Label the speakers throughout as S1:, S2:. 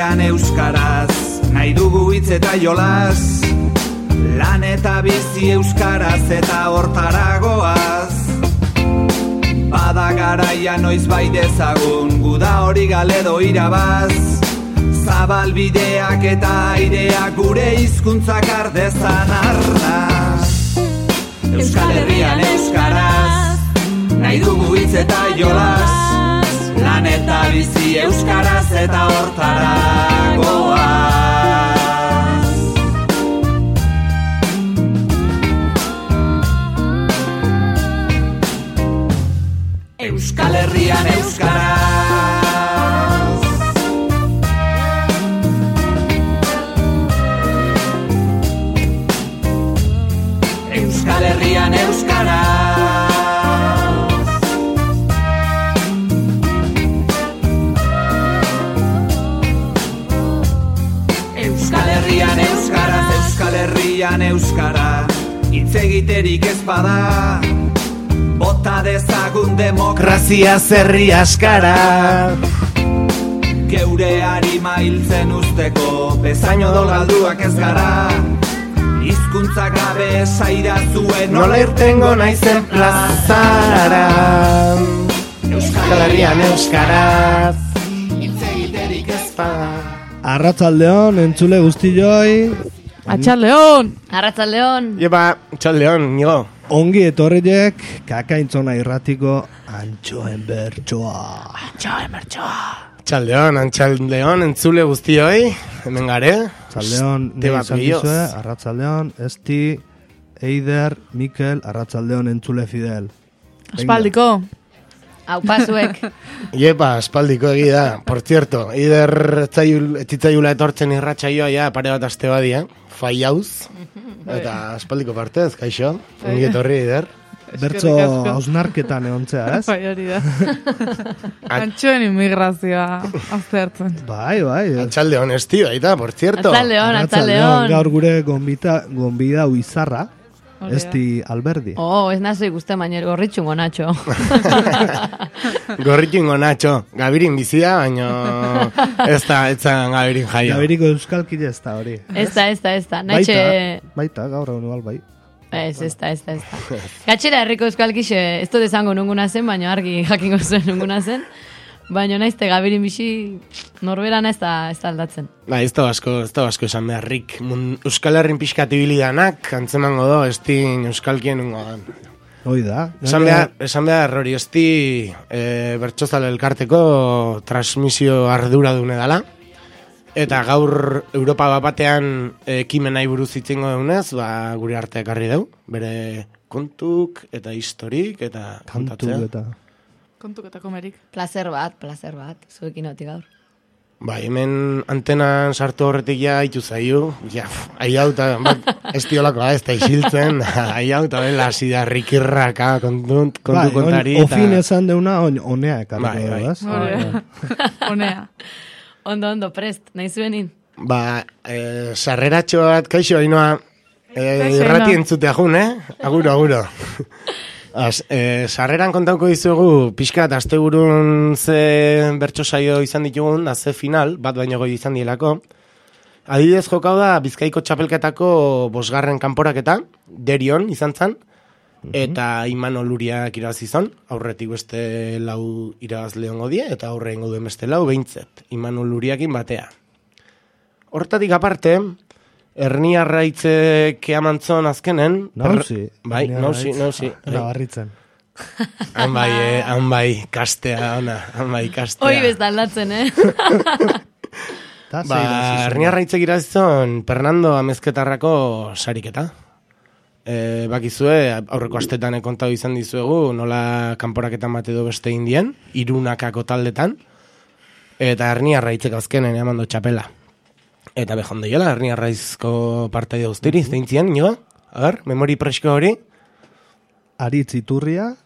S1: Herrian euskaraz, nahi dugu hitz eta jolas, lan eta bizi euskaraz eta hortara goaz. Bada garaia noiz bai dezagun, guda hori galedo irabaz, zabal bideak eta aireak gure hizkuntzak ardezan arnaz. Euskal Herrian euskaraz, nahi dugu hitz eta jolas, lan eta bizi euskaraz eta hortara goaz. Euskal Herrian euskaraz. Euskal Herrian euskaraz. Euskal Herrian euskaraz, Euskal Herrian euskara, hitz egiterik ez bada, bota dezagun demokrazia zerri askara. Geure harima hiltzen usteko, bezaino dolgalduak ez gara, hizkuntza gabe esaira zuen nola irtengo naizen plazara. Euskal Herrian euskaraz, hitz egiterik ez bada.
S2: Arratsaldeon, entzule guztioi.
S3: Atxaldeon! Arratsaldeon!
S4: Jepa, atxaldeon, nigo.
S2: Ongi etorriek Kakaintzona irratiko Antxoen bertsoa.
S4: Atxaldeon, entzule guztioi, hemen gare.
S2: Atxaldeon, nahi izan dizue, arratsaldeon, Esti, Eider, Mikel, arratsaldeon entzule Fidel.
S3: Aspaldiko. Hau pasuek.
S4: Jepa, aspaldiko egida. Por cierto, Eider etzitzaiula etortzen irratsaioa ja pare bat aste badi, Faiauz. Eta aspaldiko partez, kaixo. Ongi etorri, Eider.
S2: Bertso hausnarketan egontzea, ez?
S3: Bai, hori da. Antxoen immigrazioa aztertzen.
S2: Bai.
S4: Atxaldeon, Esti, baita, por cierto.
S3: Atxaldeon.
S2: Gaur gure gonbida uizarra. Esti Alberdi.
S3: Ez nazo ikusten baina gorritxungo Nacho.
S4: Gorritxungo Nacho. Gabirin bizia, baina ez zan Gabirin jaio.
S2: Gabiriko euskalkile ez da hori.
S3: Ez da.
S2: Baita, gaur egun igual bai.
S3: Ez da. Gatxera herriko euskalkixe ez dut esango nunguna zen, baina argi jakingo zuen nunguna zen. Baina naizte Gabirin bizi norberana ez da aldatzen.
S4: Ba, ez da basko esan beharrik. Euskal Herrin pixkatibilidanak, antzemango do, estin euskalkien ungo dan.
S2: Hoi da.
S4: Esan behar hori esti bertsozale elkarteko transmisio ardura dune dala. Eta gaur Europa batean ekimenai buruz itzengo deunez, gure arte ekarri deu. Bere kontuk eta historik eta kontatzea.
S3: Kontuk eta komerik.
S5: Placer bat, zuekin hoti gaur.
S4: Ba, hemen antenan sartu horretik ja haitu zaiu. Ja, hau eta estiolakoa ez da isiltzen. Hau eta bela zida rikirraka kontu kontari.
S2: Ofin esan deuna onea ekarriko.
S3: Bai. Onea. Ondo, prest, nahi zuenin.
S4: Ba, sarreratxo bat, kaixo, hainoa, irrati entzutea jun, Aguro. Sarreran kontauko dizugu, pixkat, asteburun ze bertso saio izan ditugun, ze final, bat baino goi izan dielako. Adibidez jokau da, Bizkaiko txapelketako 5. kanporaketa, Derion izan zan, eta Imanol Luriak irabazizon, aurretik beste 4 irabazle hongo die, eta aurre ingo duen beste 4 behintzet, Imanol Luriakin batea. Hortatik aparte, Erni Arraitzek amantzon azkenen.
S2: Nauzi.
S4: Bai, nauzi.
S2: Nabarritzen.
S4: Han bai, kastea, han kastea.
S3: Hoi bez aldatzen,
S4: Erni Arraitzek irazizon Fernando Amezketarrako sariketa. Bakizue, aurreko astetan kontatu izan dizuegu, nola kanporaketan bat edo beste indien, Irunakako taldetan, eta Erni Arraitzek azkenen amando txapela. Eta behondo jola, Erni Arraizko partaide guztiri, zeintzien, nigo? Agar, memori presko hori?
S2: Aritz Iturria,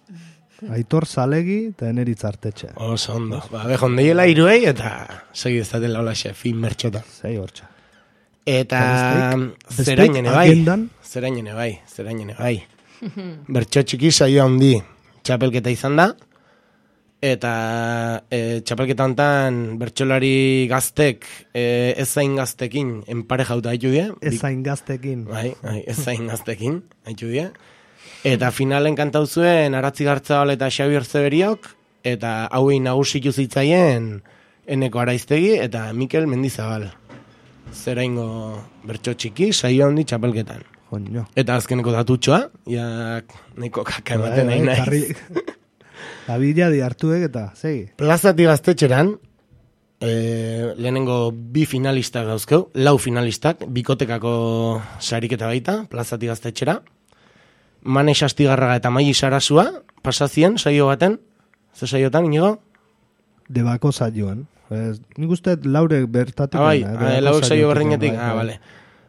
S2: Aitor Zalegi, eta Eneritz Artetxe.
S4: Oso ondo. Ba, behondo jola iruei, eta segi ez datela hola fin mertxota.
S2: Zei hortxa.
S4: Eta zerainene bai. Bertxo txiki saio handi txapelketa izan da, eta txapelketa hontan bertsolari gaztek ezain gaztekin enparejauta haitu die.
S2: Ezain gaztekin.
S4: Bai, ezain gaztekin haitu die. Eta finalen kantau zuen Aratzi Gartzabal eta Xabier Zeberiok, eta hauei nagusitu zitzaien Eneko Araiztegi eta Mikel Mendizabal. Zeraingo bertso txiki, saio handi txapelketan.
S2: Joño.
S4: Eta azkeneko datutxoa, nahiko kaka ematen nahi naiz.
S2: Abila di hartuek eta, segi.
S4: Plazati Gaztetxeran, lehenengo 2 finalistak dauzkeu, 4 finalistak, bikotekako sariketa baita, Plazati Gaztetxera. Mane Sastigarraga eta Maili Sarasua, pasazien, saio baten, ze saiotan, inigo?
S2: Debako saioan. Nik uste laurek bertatik.
S4: Laurek saio berdinetik, bale.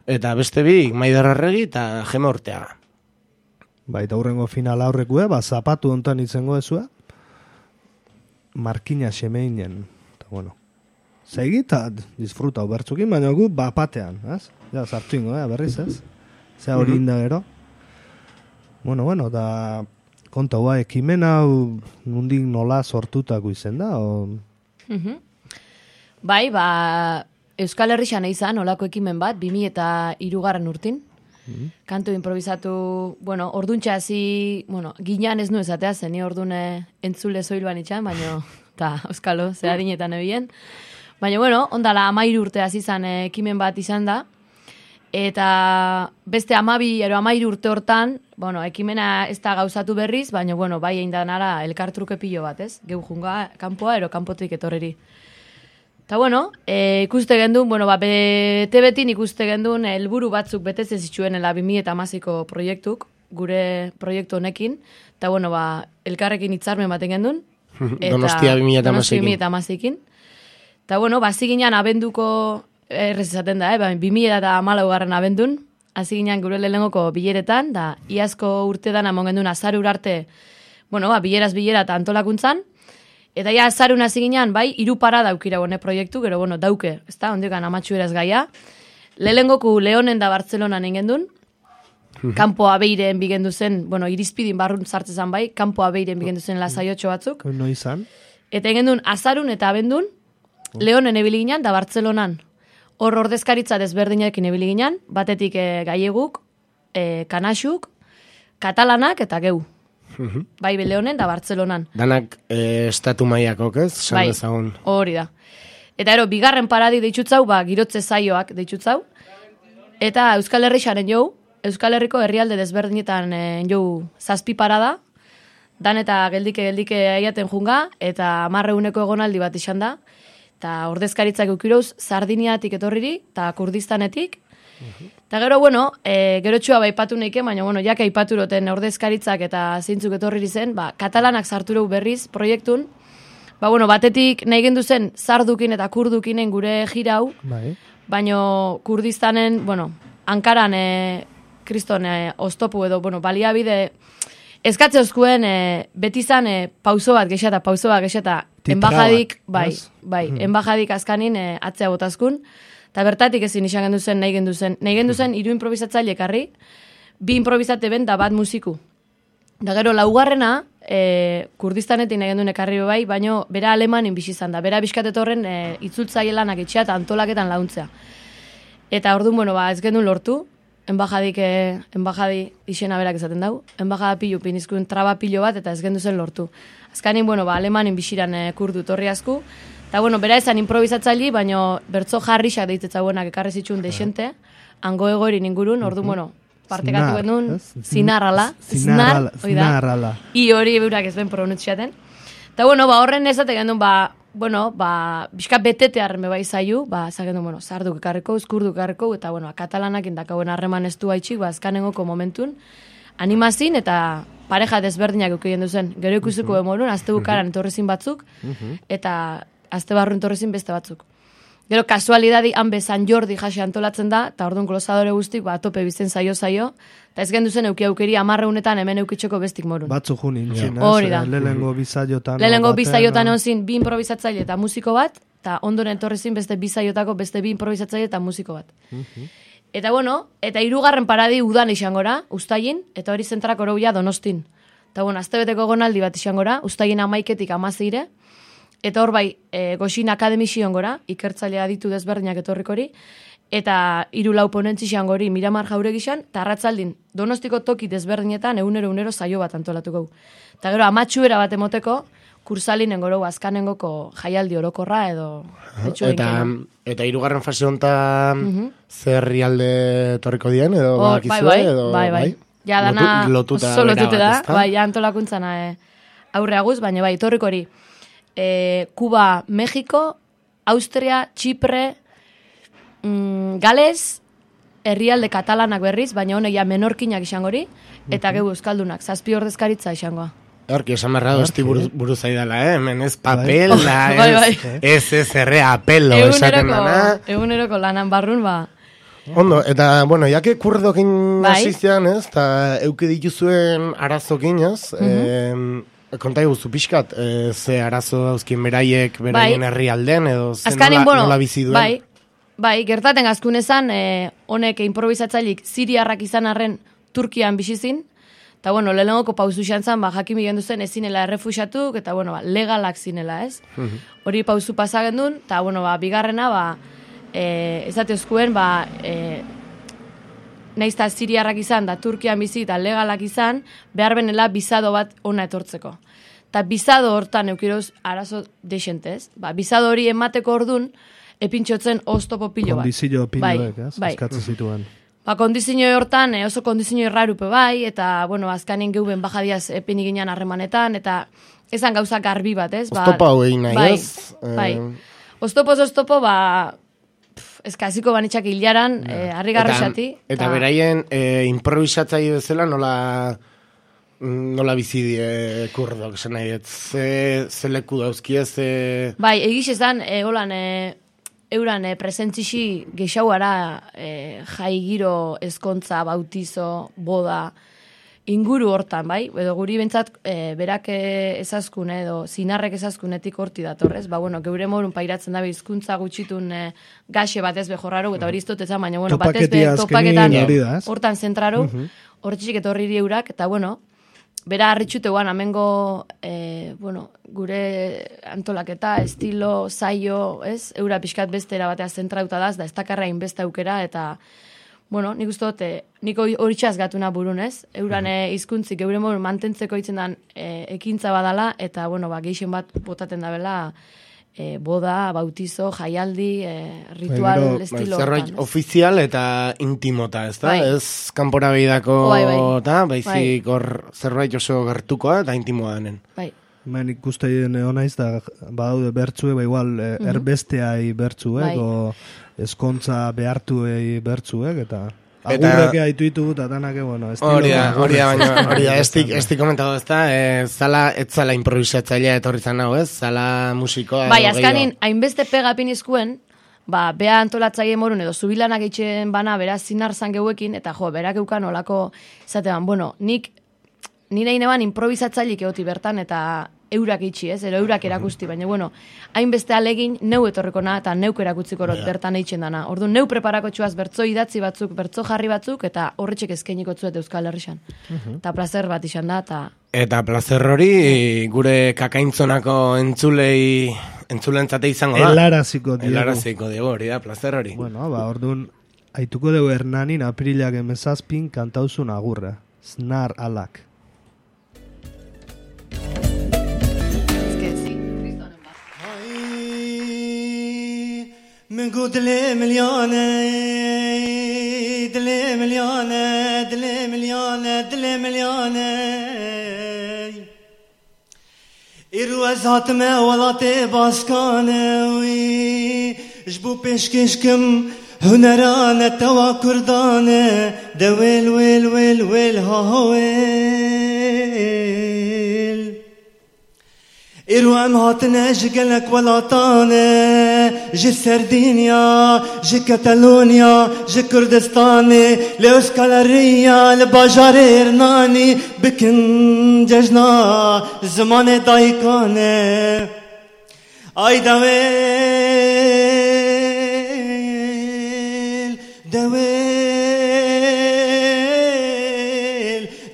S4: Eta beste bi, Maider Arregi eta Gema Orteaga.
S2: Eta hurrengo finala horrekue, zapatu hontan itzengo ezua, Markina Xemeinen. Eta bueno, segi eta disfruta bertzukin, baina gu bapatean, ez? Ja, sartu ingo, berriz ez? Zea hori inda gero. Bueno, da konta hua ekimen hau nundik nola sortutako izen da?
S3: Bai, Euskal Herrixan izan olako ekimen bat, 2003 urtin. Kantu improvisatu, orduntxa hasi, ginean ez nu esatea zen, ni ordune entzule zoiluan itxan, baina, eta Euskalo, zeharinetan ebien. Baina, ondala 13 urte hasi izan ekimen bat izan da, eta beste 12 urte hortan, ekimena ez da gauzatu berriz, baina, bai egin da nara elkartruke pilo bat, ez? Geu junga, kanpoa, kanpotik etorreri. Eta ikuste gendun, bete-betin ikuste gendun helburu batzuk betez ez itxuenela 2008ko proiektuk, gure proiektu honekin, eta elkarrekin hitzarmen baten gendun.
S4: Donostia 2008ekin.
S3: Eta hasi ginen abenduko, errez esaten da, 2014 abendun, hasi ginen gure lehenengoko bileretan, da iazko urtedan amon gendun azarur arte, bileraz bilera eta antolakuntzan, eta ja azarun hasi ginen, 3 parada daukira proiektu, gero dauke, ez da, ondikan amatxu eraz gaia. Lehengoku Leonen da Bartzelonan engendun, kanpo abeiren bigendu zen, irizpidin barrun sartzezan kanpo abeiren bigendu zen lasaiotxo batzuk.
S2: No izan.
S3: Eta engendun azarun eta abendun, Leonen ebili ginen da Bartzelonan. Hor ordezkaritza desberdinekin ebili ginen, batetik gaieguk, kanaxuk, katalanak eta geu. Bai Leonen da Bartzelonan.
S4: Danak estatu maiakok, ez?
S3: Bai, hori da. Eta bigarren paradi deitzutzau, girotze zaioak deitzutzau. Eta Euskal Herrixaren jou, Euskal Herriko herrialde desberdinetan jou 7 parada, dan eta geldike aiaten junga, eta 10 egonaldi bat izan da. Eta ordezkaritzak eukiroz, Sardiniatik etorriri, eta Kurdistanetik. Eta gero, gero txua baipatu neiken, baina, jaka aipaturoten ordezkaritzak eta zeintzuk etorriri zen, katalanak sartureu berriz proiektun, batetik nahi gendu zen sardukin eta kurdukinen gure jirau, baina Kurdistanen, Ankaran kriston oztopu edo, baliabide, eskatze oskuen beti zan pauso bat gexeta, enbajadik, enbajadik azkanin atzea botazkun, eta bertatik ezin izan gendu zen, nahi gendu zen 3 improvisatzaile ekarri, 2 improvisate ben da bat musiku. Da gero, laugarrena, Kurdistanetik nahi gendu ekarri baina bera alemanin bizi izan da, bera bizkatetorren itzultzaile lanak itxea eta antolaketan launtzea. Eta orduan, ez gendu lortu, enbajadi izena berak esaten dau, enbajada pilu, pinizkun traba pilo bat, eta ez gendu zen lortu. Azkanin, alemanin biziran kurdu torri asku, eta, bera esan improvisatzaili, baina bertzo jarrixak deitetza buenak ekarri zitxun deixente, hango egoerin ingurun, orduan, partekatu genuen, zinarrala. I hori eurak ez ben pronutziaten. Eta, horren ezate genuen, bizka betetearen bebai zaiu, zagendu, zarduk ekarriko, kurduk ekarriko, eta, katalanak indakauen harreman ez du haitxik, azkanengoko momentun, animazin eta pareja desberdinak eukien duzen. Gero ikusiko emorun, azte bukaran etorrezin batzuk, eta azte barrun etorrezin beste batzuk. Gero kasualidadi, hanbe San Jordi jase antolatzen da, eta orduan kolosadore guztik, tope bizten zaio, eta ez gendu zen euki aukeri 10 hemen eukitzeko bestik morun.
S2: Batzu junin,
S3: hori da.
S2: Lehenengo bizaiotan.
S3: Lehenengo bizaiotan egon zin 2 improvisatzaile eta musiko bat, eta ondoren etorrezin beste bizaiotako beste 2 improvisatzaile eta musiko bat. Eta eta 3. paradi udan izangora, ustaien, eta hori zentrak oroia Donostin. Eta bueno, aztebeteko gonaldi bat izan gora, ustaien 11-tik 16, eta hor bai, Goxin Akademi zion gora, ikertzailea ditu desberdinak etorrikori, eta 3-4 ponentzi izan gori Miramar Jauregi izan, eta arratzaldin Donostiko toki desberdinetan egunero saio bat antolatuko. Eta gero, amatxuera bat emoteko, kursalinen goro azkanengoko jaialdi orokorra edo...
S4: Eta 3. fase hontan zer herrialde etorriko dien edo bakizue edo...
S3: Bai. Ja, dana oso lotute da, bai, ja antolakuntzana aurreaguz, baina bai, etorriko hori. Kuba, Mexiko, Austria, Txipre, Gales, herrialde katalanak berriz, baina honek ja menorkinak izango hori, eta geu euskaldunak, 7 ordezkaritza izangoa.
S4: Horki, esan barra dozti buru zaidala, hemen ez papel, ez erre apelo esaten dana.
S3: Eguneroko lanan barrun, ba.
S4: Ondo, eta, bueno, jake kurdokin asistean, ez, eta euki dituzuen arazokin, ez, konta eguzu pixkat, ze arazo dauzkin beraiek, beraien herrialden, edo ze nola bizi duen.
S3: Bai, gertaten azkunezan, honek improvisatzailik Siriarrak izan arren Turkian bizizin, eta, bueno, lehenengoko pauzu xantzan, jakin bigendu zen ezinela errefuxatuk, eta, bueno, legalak zinela, ez? Hori pauzu pasagendun, eta, bueno, bigarrena, ezateozkuen, naizta Siriarrak izan, da Turkian bizi, eta legalak izan, behar benela bizado bat ona etortzeko. Eta bizado hortan eukiroz arazo desentez. Bizado hori emateko ordun, epintxotzen oztopo pilo bat.
S2: Kondizio piloek, eskatzen zituen.
S3: Kondizio hortan, oso kondizio errarupe bai, eta, bueno, azkanin geuben bajadiaz epinik ginen harremanetan, eta ezan gauza garbi bat, ez?
S4: Oztopo hau egin nahi, ez?
S3: Bai. Oztopo, eskaziko banitxak hilaran, harri garrosati.
S4: Eta beraien improvisatzaile bezala nola bizi kurdok, zen nahi, ze leku dauzki ez...
S3: Bai, egiz ezan, euran presentzixi gexauara jai giro, ezkontza, bautizo, boda, inguru hortan, bai? Edo guri bentsat berak ezazkun edo zinarrek ezazkunetik horti datorrez. Bueno, geure morun pairatzen dabe hizkuntza gutxitun gaxe batez behorraro, eta hori iztotetan, baina, bueno, batez topaketan hortan zentraro, hortxik etorri eurak, eta, bueno, bera harritxuteguan, amengo, gure antolaketa, estilo, zaio, ez? Eura pixkat bestera batea zentrauta daz, da ez dakarra inbeste aukera, eta, bueno, nik uste dut, niko hori txazgatuna burun, ez? Euran hizkuntzik, eure moru mantentzeko itzen dan ekintza badala, eta, bueno, geixen bat botaten dabela, boda, bautizo, jaialdi, ritual estilo.
S4: Zerbait ofizial eta intimota, ez da? Ez kanpora behidako, baizik hor zerbait oso gertukoa eta intimoa denen.
S3: Bai.
S2: Ben ikusteien honaiz da, badaude bertzuek, igual erbesteai bertzuek, o eskontza behartuei bertzuek, eta... Agurreke haituitu eta danak, bueno, estilo...
S4: Hori da, esti komentatu ez da, ez zala improvisatzailea etorri zan hau, ez? Zala musikoa...
S3: Bai, azkanin, hainbeste pegapin izkuen, bea antolatzaile morun edo zubilanak eitxen bana, beraz zinar zan geuekin, eta berak eukan olako, zatean, bueno, nire ineban improvisatzailik egoti bertan, eta eurak itxi, ez? Ero eurak erakusti, baina, bueno, hainbeste alegin neu etorriko na, eta neuk erakutziko bertan eitzen dana. Orduan, neu preparako txuaz bertzo idatzi batzuk, bertzo jarri batzuk, eta horretxek eskainiko tzuet Euskal Herrixan. Eta placer bat izan da, eta...
S4: Eta placer hori, gure kakaintzonako entzulentzate izango da. Helaraziko diego, hori da, placer hori.
S2: Bueno, orduan, haituko dugu Hernanin aprilak emezazpin kantauzun agurra. Snar alak.
S6: من قد لي مليانة دلي مليانة دلي مليانة دلي مليانة إروز هاتما ولاتي باسكانة جبو بيشكشكم هنرانة توا كردانة دويل ويل ويل ويل هاويل إرو أم هاتنا جقلك ولاتانة جي سردينيا جي كتالونيا جي كردستاني لأسكالريا لباجار إرناني بكن ججنا زمان دايكانة أي دويل دويل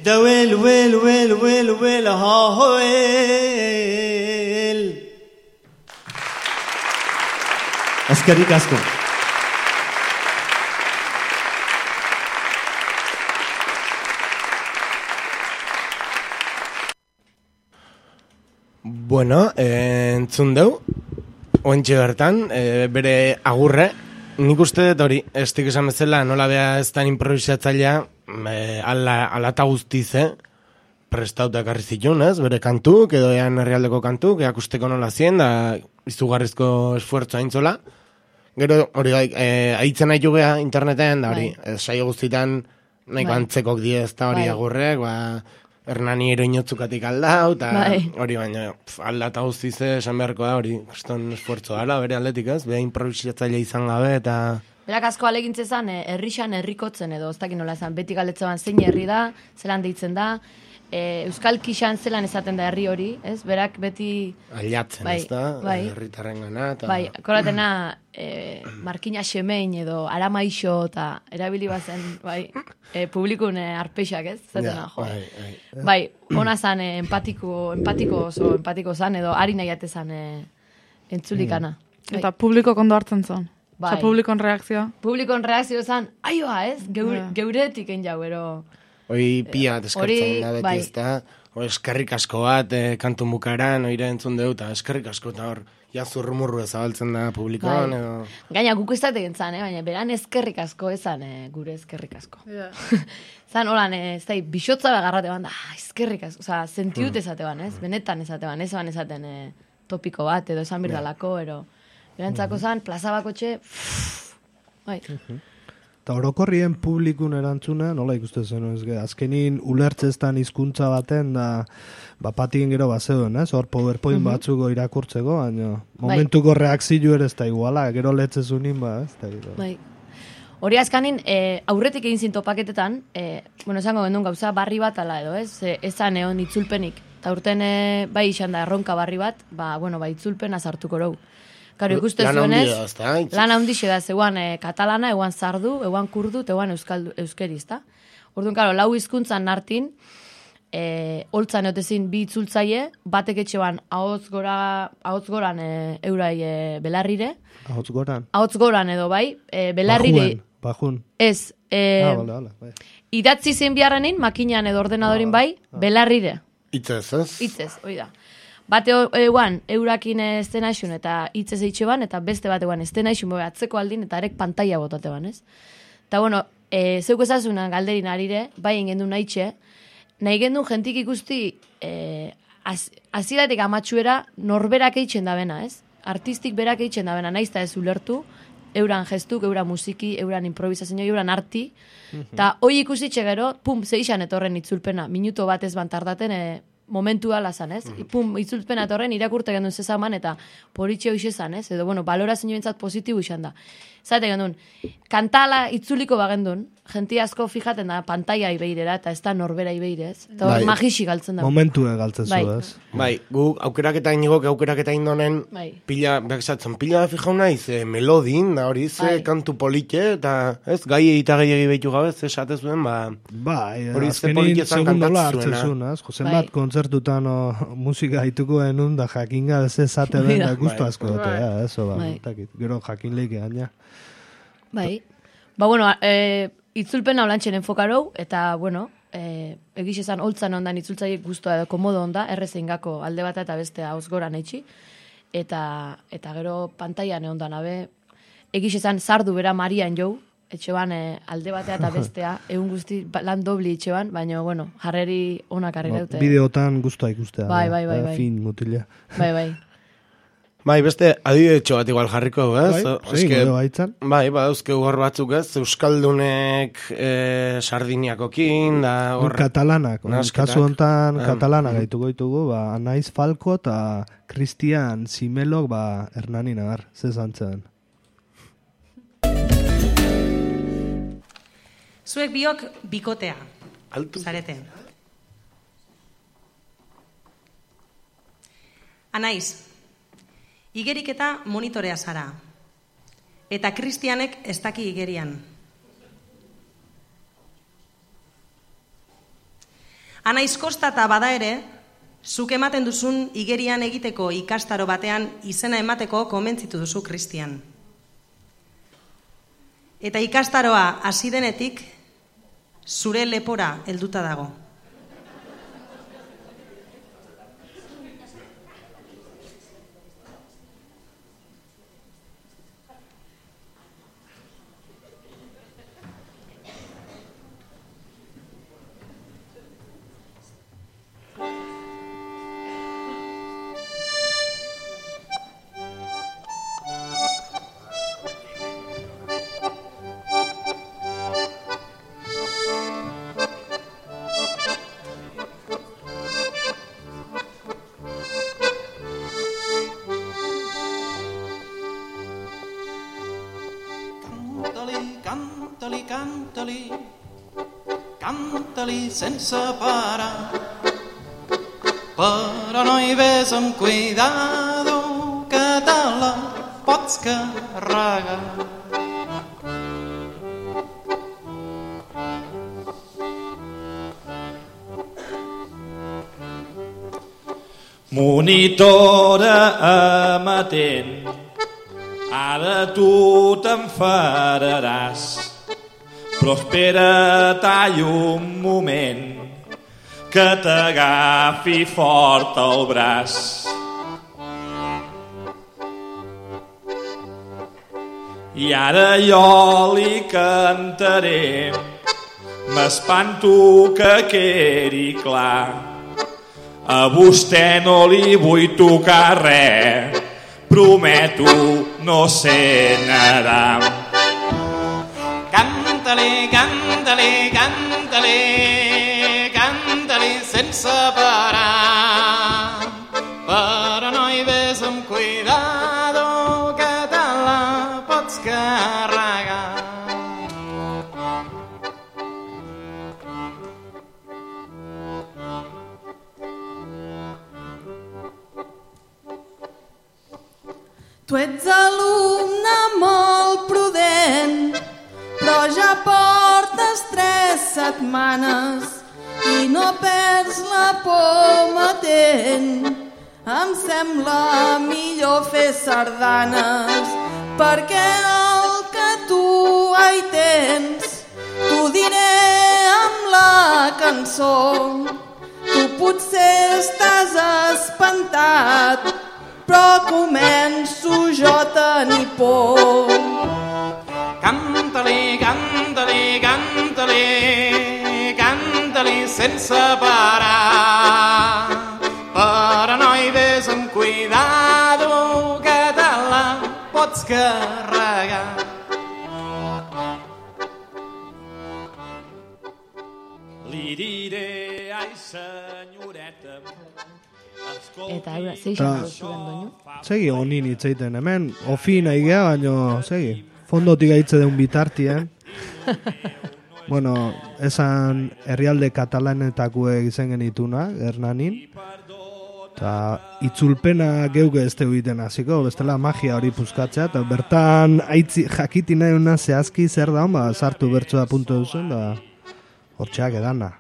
S6: دويل ويل ويل ويل ويل ها ويل اسكريك اسكو
S4: Bueno, entzun deu, oentxe bertan, bere agurre, nik uste dut hori, estik esan bezala, nola bea ez tan improvisatzailea, ala eta guztiz, prestauta ekarri zituen, ez? Bere kantuk, edo ean herrialdeko kantuk, eakusteko nola zien, da izugarrizko esfuerzo aintzola. Gero, hori aitzen nahi jugea interneten, da hori, saio guztitan nahiko antzekok diez, da hori agurrek, Hernani eroinotzukatik aldau, eta hori baina aldata guztiz esan beharko da hori, kriston esfuerzo dala, bere aldetik ez, beha improvisatzaile izan gabe, eta...
S3: Berak asko alegintze zan, herrixan herrikotzen edo, ez dakit nola esan, beti galetzean zein herri da, zelan deitzen da, Euskal Kixan zelan esaten da herri hori, ez? Berak beti...
S4: Ailatzen, ez da, herritarren gana, eta...
S3: Bai, koratena, Markina Xemein edo Aramaixo, eta erabili bazen, publikun arpeixak, ez? Zatena, jo. Bai, ona zan, empatiko zan, edo ari nahiate zan entzulikana.
S7: Eta publiko kondo hartzen zan.
S3: Bai.
S7: Publikon reakzioa.
S3: Publikon reakzio zan, aioa, ez? Geuretik jau, ero...
S4: Hoi pia eskertzen da beti ez da, eskerrik asko bat kantu bukaran, oire entzun deu, eta eskerrik asko, eta hor, zurrumurru ezabaltzen da publikoan, edo...
S3: Gaina, guk ez dategin zan, baina beran eskerrik asko ezan, gure eskerrik asko. Zan, holan, ez da, bisotza begarrate ban, eskerrik asko, oza, sentiut ezate ban, ez? Benetan ezate ban, ez ban ezaten topiko bat, edo esan birdalako, ero... Berantzako zan, plaza bakotxe, bai...
S2: Eta orokorrien publikun erantzuna, nola ikusten zen, azkenin ulertzeztan hizkuntza baten, da, patien gero bazeuden, ez? Hor PowerPoint batzuko irakurtzeko, baina momentuko reakzio ere ez da iguala, gero letzezunin, ez da gero.
S3: Bai. Hori azkanin, aurretik egin zintopaketetan, esango gendun gauza barri bat ala edo, ez? Ezan egon itzulpenik. Eta urten, bai izan da erronka barri bat, itzulpena sartuko rau. Karo, ikuste zuenez, lan handixe da, zeuan katalana, eguan sardu, eguan kurdu, eguan euskeriz, da? Orduan, karo, lau hizkuntzan nartin, holtzan eotezin bi itzultzaile, batek etxeban ahotz goran eurai belarrire.
S2: Ahotz goran?
S3: Ahotz goran edo, bai, belarrire.
S2: Bajun.
S3: Ez, idatzi zein biharrenin, makinan edo ordenadorin bai, belarrire.
S4: Itzez, ez?
S3: Itzez, hoi da. Bate eguan, eurakin estenaixun eta hitzez eitxe ban, eta beste bat eguan estenaixun atzeko aldin, eta arek pantalla botate ban, ez? Eta, bueno, zeuk ezazuna galderin arire, bai ingendu nahitxe, nahi gendun jentik ikusti aziratik amatxuera norberak eitzen da bena, ez? Artistik berak eitzen da bena, nahiz eta ez ulertu, euran gestuk, euran musiki, euran improvisazio, euran arti, eta hoi ikusitxe gero, zeixan etorren itzulpena, minuto bat ez bantardaten, momentu ala zan, ez? Itzulpen atorren irakurte gendun zezaman eta poritxe hoxe zan, ez? Edo, balorazio entzat positibu izan da. Zate gendun, kantala itzuliko bagendun, jenti asko fijaten da pantalla ibeirera eta ez da norbera ibeire, ez? Eta hor magixi galtzen da.
S2: Momentu galtzen zu, ez?
S4: Bai, gu aukeraketa inigok aukeraketa indonen, pila fijau naiz, melodin, da hori, ze kantu politxe, eta ez, gai eta gehiagi behitu gabe, ze esatezuen,
S2: bai, azkenin segundola hartzen zuen, ez? Josen bat kontzertutan musika haituko denun, da jakinga ez esate den, da guztu asko dute, ez? Gero jakin leike gaina.
S3: Bai. Itzulpen haulantxen enfokarou, eta, egiz esan holtzan ondan itzultzaiek guztua edo komodo onda, errezein gako alde bat eta beste hauz goran eitxi, eta gero pantaian ondan abe, egiz esan sardu bera Marian jou, etxeban alde batea eta bestea, egun guzti lan dobli etxeban, baina, jarreri onak harri daute.
S2: Bideotan guztua ikustea.
S3: Bai.
S2: Fin mutila.
S3: Bai.
S4: Bai, beste adibidetxo bat igual jarriko, ez?
S2: Bai,
S4: dauzke hor batzuk, ez? Euskaldunek Sardiniakokin, da hor...
S2: Katalanak, kasu hontan katalanak gaituko ditugu, Anaiz Falko eta Cristian Simelok, Hernani nagar, zezantzen.
S8: Zuek biok bikotea, zarete. Anaiz, igerik eta monitorea zara. Eta Kristianek ez daki igerian. Anaiz kostata bada ere, zuk ematen duzun igerian egiteko ikastaro batean izena emateko konbentzitu duzu Kristian. Eta ikastaroa hasi denetik, zure lepora helduta dago.
S9: Canta-li sense parar, però no hi ves amb cuidado que te la pots carregar.
S10: Monitora amatent, ara tu t'enfadaràs, però espera't un moment que t'agafi fort el braç. I ara jo li cantaré, m'espanto que quedi clar. A vostè no li vull tocar res, prometo no ser nedar.
S9: Canta-li, canta-li, canta-li, canta-li sense parar, però no hi ves amb cuidado que te la pots carregar.
S11: Tu ets alumne molt prudent, però ja portes 3 setmanes i no perds la por matent. Em sembla millor fer sardanes, perquè el que tu hi tens t'ho diré amb la cançó. Tu potser estàs espantat, però començo jo a tenir por.
S9: Canta-li, canta-li, canta-li, canta-li sense parar, però no hi ves amb cuidado que te la pots carregar.
S10: Li diré, ai senyoreta,
S3: Eta eura, zeixan zuen doinu.
S2: Segi honin itzeiten hemen, ofi nahi geha, baino, segi, fondotik gaitze deun bitartien. Bueno, esan herrialde katalanetakuek izen genituna, Hernanin. Eta itzulpena geuge ez teu iten hasiko, bestela magia hori puzkatzea, eta bertan jakiti nahi una zehazki zer da, sartu bertsoa puntu duzun, da hortxeak edana.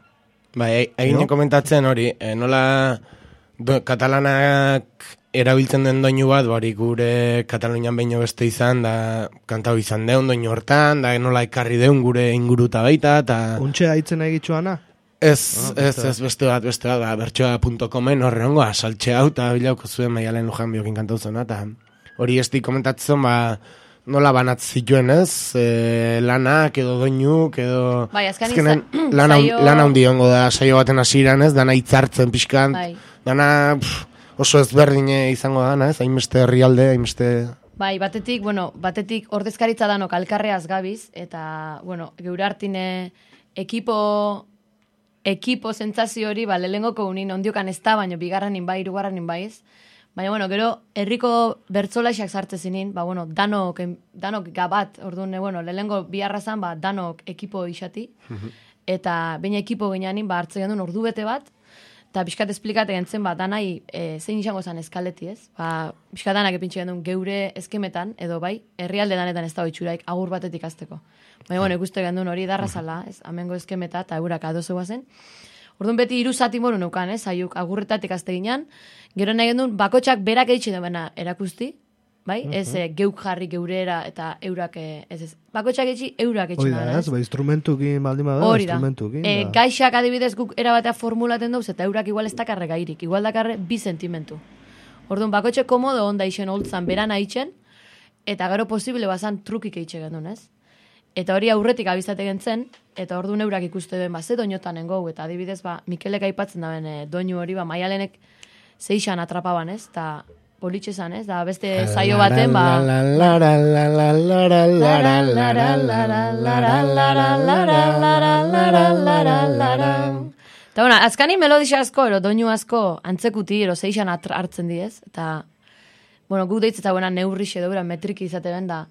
S4: Bai, egin komentatzen hori, nola katalanak erabiltzen den doinu bat, bari gure Katalunian behin beste izan, da kantau izan deun doinu hortan, da nola ekarri deun gure inguruta baita, eta...
S2: Untxe haitzen egitxuana?
S4: Ez, beste bat, da, bertsoa.comen horrengo asaltxe hau, eta bilauko zuen Maialen Lujan biokin kantau zena, eta hori esti komentatzen, nola banat zituen ez, lanak edo doinuk edo...
S3: Bai, azkenean
S4: lan handi hongo da saio baten hasieran ez, dana hitzartzen pixkan, dana oso ezberdin izango da, ez, hainbeste herrialde, hainbeste...
S3: Bai, batetik ordezkaritza danok alkarreaz gabiz, eta, geure hartine ekipo sentsazio hori, lehengoko unin ondiokan ez da, baina bigarrenin bai, hirugarrenin bai ez. Baina, gero, herriko bertzolaxak sartzen zinin, danok gabat, orduan, lehengo biharra zan, danok ekipo isati, eta baina ekipo gineanin, hartzen gendun ordu bete bat, eta pixkat esplikate gentzen, danai zein izango zan eskaleti ez, pixkat danak epintxe gendun geure eskemetan, edo bai, herrialde danetan ez da itxuraik agur batetik azteko. Baina, ikuste gendun hori darra zala, ez, amengo eskemeta, eta eurak adozegoa zen. Orduan beti 3 zati moru neukan, saiuk agurretatik azte ginean, gero nahi gendun, bakotxak berak eitxe duena erakusti, bai? Ez geuk jarri geurera eta eurak, ez. Bakotxak eitxe, eurak eitxe
S2: da, ez, instrumentukin baldin bada, instrumentukin.
S3: Gaixak adibidez guk erabatea formulaten dauz, eta eurak igual ez dakarre gairik, igual dakarre 2 sentimentu. Orduan, bakotxe komodo onda isen holtzan beran aitzen, eta gero posible bazan trukik eitxe gendun, ez? Eta hori aurretik abizate gentzen, eta orduan eurak ikuste duen, ze doinotan engau, eta adibidez, Mikelek aipatzen daben doinu hori, Maialenek zeixan atrapaban, ez? Eta politxe zan, ez? Da beste zaio baten, eta bueno, azkani melodisa asko, doinu asko, antzekuti, zeixan hartzen diez, eta, bueno, gu deitzeta buena neurrixe edo, metriki izate ben, da,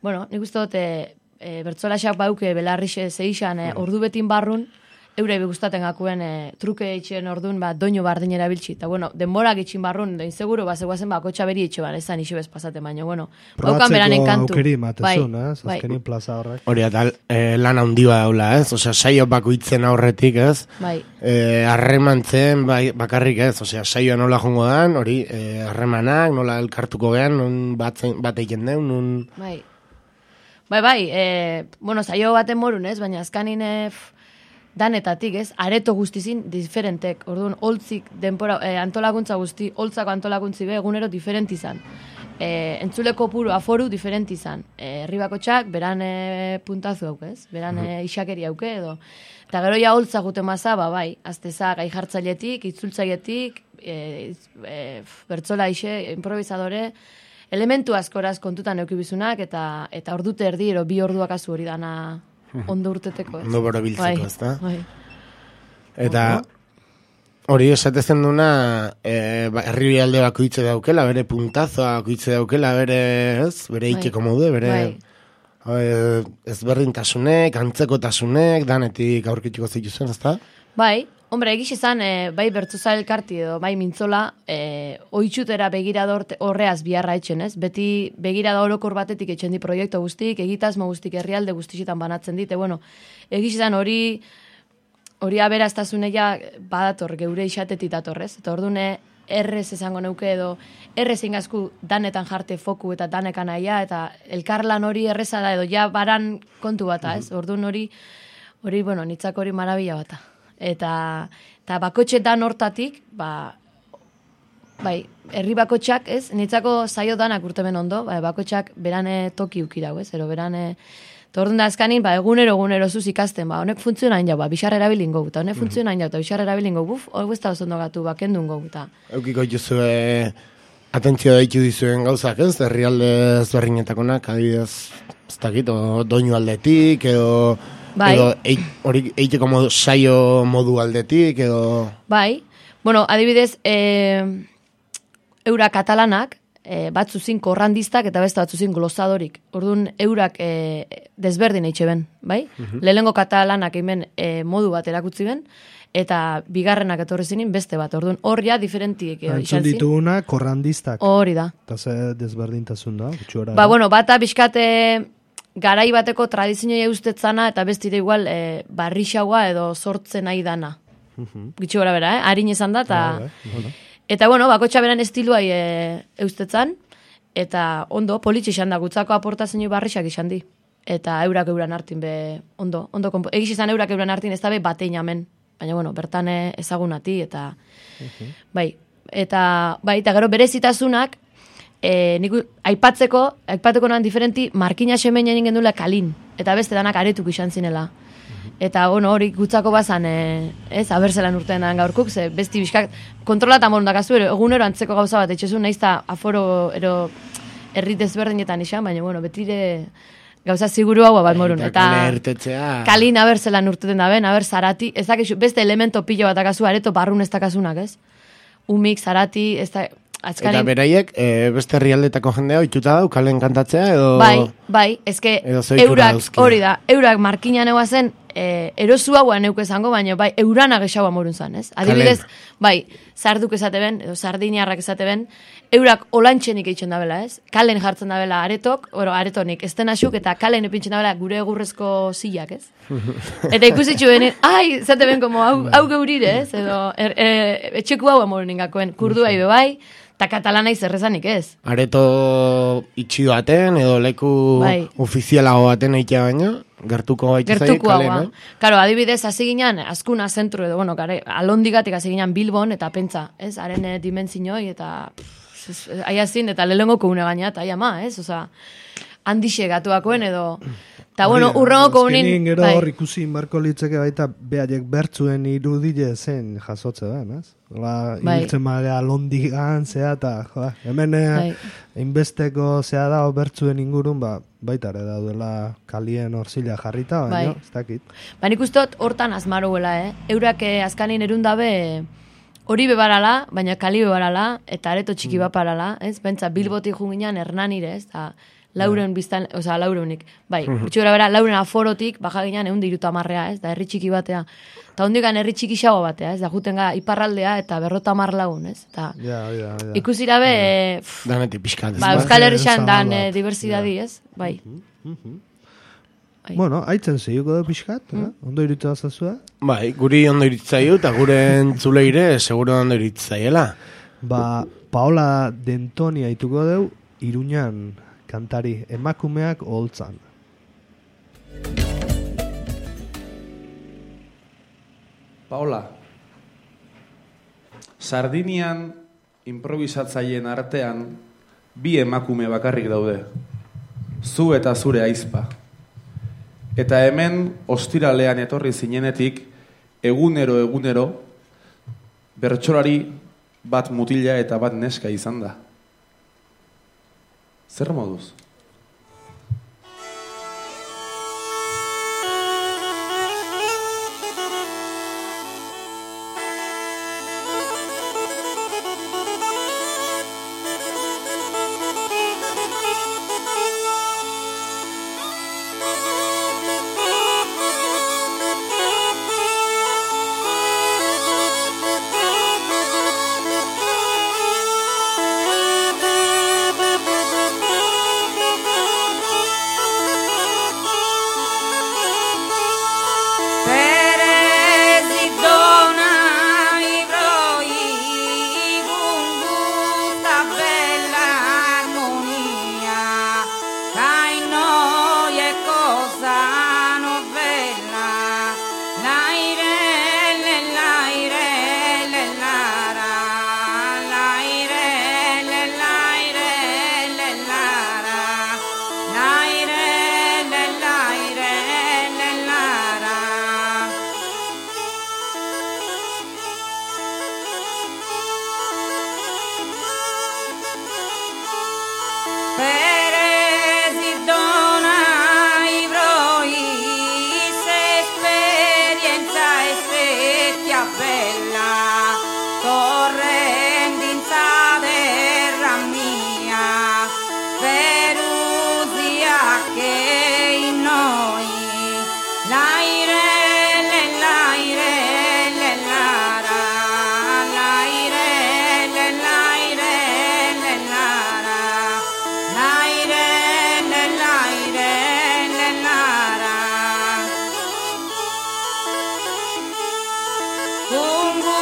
S3: bueno, nik uste dute, bertzolaxak bauke belarrixe zeixan ordu betin barrun, eure gustaten gakuen truke eitxen ordun doinu bardin erabiltzi. Eta bueno, denborak itxin barrun, da inseguro, zegoazen kotxa beri itxe ezan iso bez pasate, baina bueno, baukan beranen kantu.
S2: Probatzeko aukeri matezun, azkenin plaza horrek.
S4: Hori, eta lan handia daula, ez? Osea, saio bakoitzen aurretik, ez?
S3: Bai.
S4: Harremantzen, bakarrik, ez? Osea, saioa nola jongo dan, hori, harremanak, nola elkartuko gehan, nun bat eiken deun, nun...
S3: Bai, bueno, saio baten morun, ez? Baina azkanin danetatik, ez? Areto guztizin diferentek. Orduan, holtzik denpora, antolakuntza guzti, holtzako antolakuntzi be, egunero diferent izan. Entzuleko puru aforu diferent izan. Herribakotxak, beran puntazu hauke, ez? Beran isakeri hauke, edo. Eta gero ja holtza gute maza, bai, azteza gai jartzailetik, itzultzailetik, bertzola ise, improvisadore, elementu askoraz kontutan eukibizunak, eta ordute erdi, 2 orduak azu hori dana ondo urteteko, ez?
S4: Ondo bora biltzeko, ez da? Eta hori esatezen duna, herri alde bakoitze daukela, bere puntazoa bakoitze daukela, bere, ez? Bere ikeko modu, bere ezberdintasunek, antzekotasunek, danetik aurkituko zituzen, ez da?
S3: Bai, hombre, egiz izan, bai bertzoza elkarti edo, bai mintzola, oitxutera begirada horreaz biharra etxen, ez? Beti begirada orokor batetik etxen di proiektu guztik, egitasmo guztik herrialde guztixetan banatzen dit, bueno, egiz izan hori aberaztasuneia badator, geure isatetit datorrez, eta ordune errez esango neuke edo, errez ingazku danetan jarte foku eta danekan aia, eta elkarlan hori erreza da edo, ja baran kontu bata, ez? Ordun hori, bueno, nitzak hori marabila bata. Eta bakotxetan hortatik, bai, herri bakotxak, ez? Nitzako zaio danak urtemen ondo, bakotxak berane toki ukirau, ez? Ero berane, orduan da azkanin, egunero zuz ikasten, honek funtzionain jau, bixar erabilin gau, eta honek funtzionain jau, eta bixar erabilin gau, hori ez da oso gatu, kendun gau, eta...
S4: Eukiko dituzue, atentzio daitu dizuen gauzak, ez? Herrialde ezberdinetakonak, adibidez, ez dakit, doinu aldetik, edo...
S3: Bai.
S4: Edo hori eiteko saio modu aldetik, edo...
S3: Bai, bueno, adibidez, eurak katalanak, batzuzin korrandistak eta beste batzuzin glosadorik. Orduan, eurak desberdin eitxe ben, bai? Lehengo katalanak hemen modu bat erakutzi ben, eta bigarrenak etorri zinin beste bat. Orduan, horria diferentiek izan zin.
S2: Entzun dituguna korrandistak.
S3: Hori da.
S2: Eta ze desberdintasun da, gutxora.
S3: Bueno, bata bizkate... garai bateko tradizioa eustetzana eta bestire igual barrixagoa edo sortzen nahi dana. Gitxo gara bera, harin izan da, eta bueno, bakotxa beran estiluai eustetzan, eta ondo, politxe izan da, gutzako aportazio barrixak izan di. Eta eurak euran hartin be, ondo, egiz izan eurak euran hartin ez da be batein amen, baina bueno, bertan ezagunati, eta bai, eta gero berezitasunak, nik aipateko noan diferenti, markina semen egin gendula kalin, eta beste danak aretuk izan zinela. Eta hori gutzako bazan, abertzelan urtean gaurkuk, ze besti bizkak, kontrolatan morun dakazu, egunero antzeko gauza bat, etxezun nahiz eta aforo errit ezberdinetan izan, baina betire gauza ziguru hau bat morun. Eta kalin abertzelan urteten da ben, zarati, ez dakizu, beste elemento pilo bat dakazu, areto barrun ez dakasunak, ez? Umik, zarati, ez da...
S4: Eta beraiek, beste herrialdetako jendea oituta dau, kalen kantatzea, edo...
S3: Bai, ezke, eurak, hori da, eurak markinan egoa zen, erosu hauan neuk esango, baina bai, eurana gexau amorun zan, ez? Adibidez, bai, zarduk esate ben, edo sardiniarrak esate ben, eurak olantxenik eitzen dabela, ez? Kalen jartzen dabela aretok, aretonik, ez asuk eta kalen epintzen dabela gure egurrezko zilak, ez? Eta ikusitxu benin, zate ben, como hau geurire, ez? Edo, etxeku hau amorun ingakoen, kurdua ibe bai, eta katalana izerrezanik ez.
S4: Areto itxi baten, edo leku ofizialago baten eitea baino, gertuko gaitza zaik, kale, no?
S3: Karo, adibidez, hasi ginen, askuna zentru edo, bueno, alondigatik hasi ginen Bilbon, eta pentsa, ez? Haren dimentzinoi, eta aiazin, eta lehengo koune gaina, eta aiama, ez? Osa, handixe gatuakoen edo... Eta, bueno, urrengoko unin...
S2: Azkenin gero hor ikusi inbarko litzeke baita behaiek bertzuen irudile zen jasotze da, ez? Ibiltzen marea londigan, zea, eta hemen inbesteko zea da, bertzuen ingurun, baita ere daudela kalien horzila jarrita, baina, ez dakit.
S3: Nik ustot hortan azmaruela, Eurak azkanin erundabe hori bebarala, baina kali bebarala, eta areto txiki baparala, ez? Bentsa, Bilbotik junginan Hernanire, ez? Lauren biztan, oza, Laurenik, bai, gutxura bera, Lauren aforotik, baja ginean 130, ez, da herri txiki batea. Eta hondikan herri txiki xago batea, ez, da juten ga iparraldea eta 50 lagun, ez, eta ikusira be...
S4: Danetik pixkat, ez.
S3: Euskal Herrixan dan diversidadi, ez, bai.
S2: Bueno, haitzen zeiuko da pixkat, ondo iritu da zazua?
S4: Bai, guri ondo iritzaiu, eta gure entzuleire seguro ondo iritzaiela.
S2: Paola Dentoni haituko deu, Iruñan kantari emakumeak oholtzan.
S12: Paola, Sardinian improvisatzaileen artean bi emakume bakarrik daude. Zu eta zure aizpa. Eta hemen ostiralean etorri zinenetik egunero bertsolari bat mutila eta bat neska izan da. Zer moduz?
S11: Ungu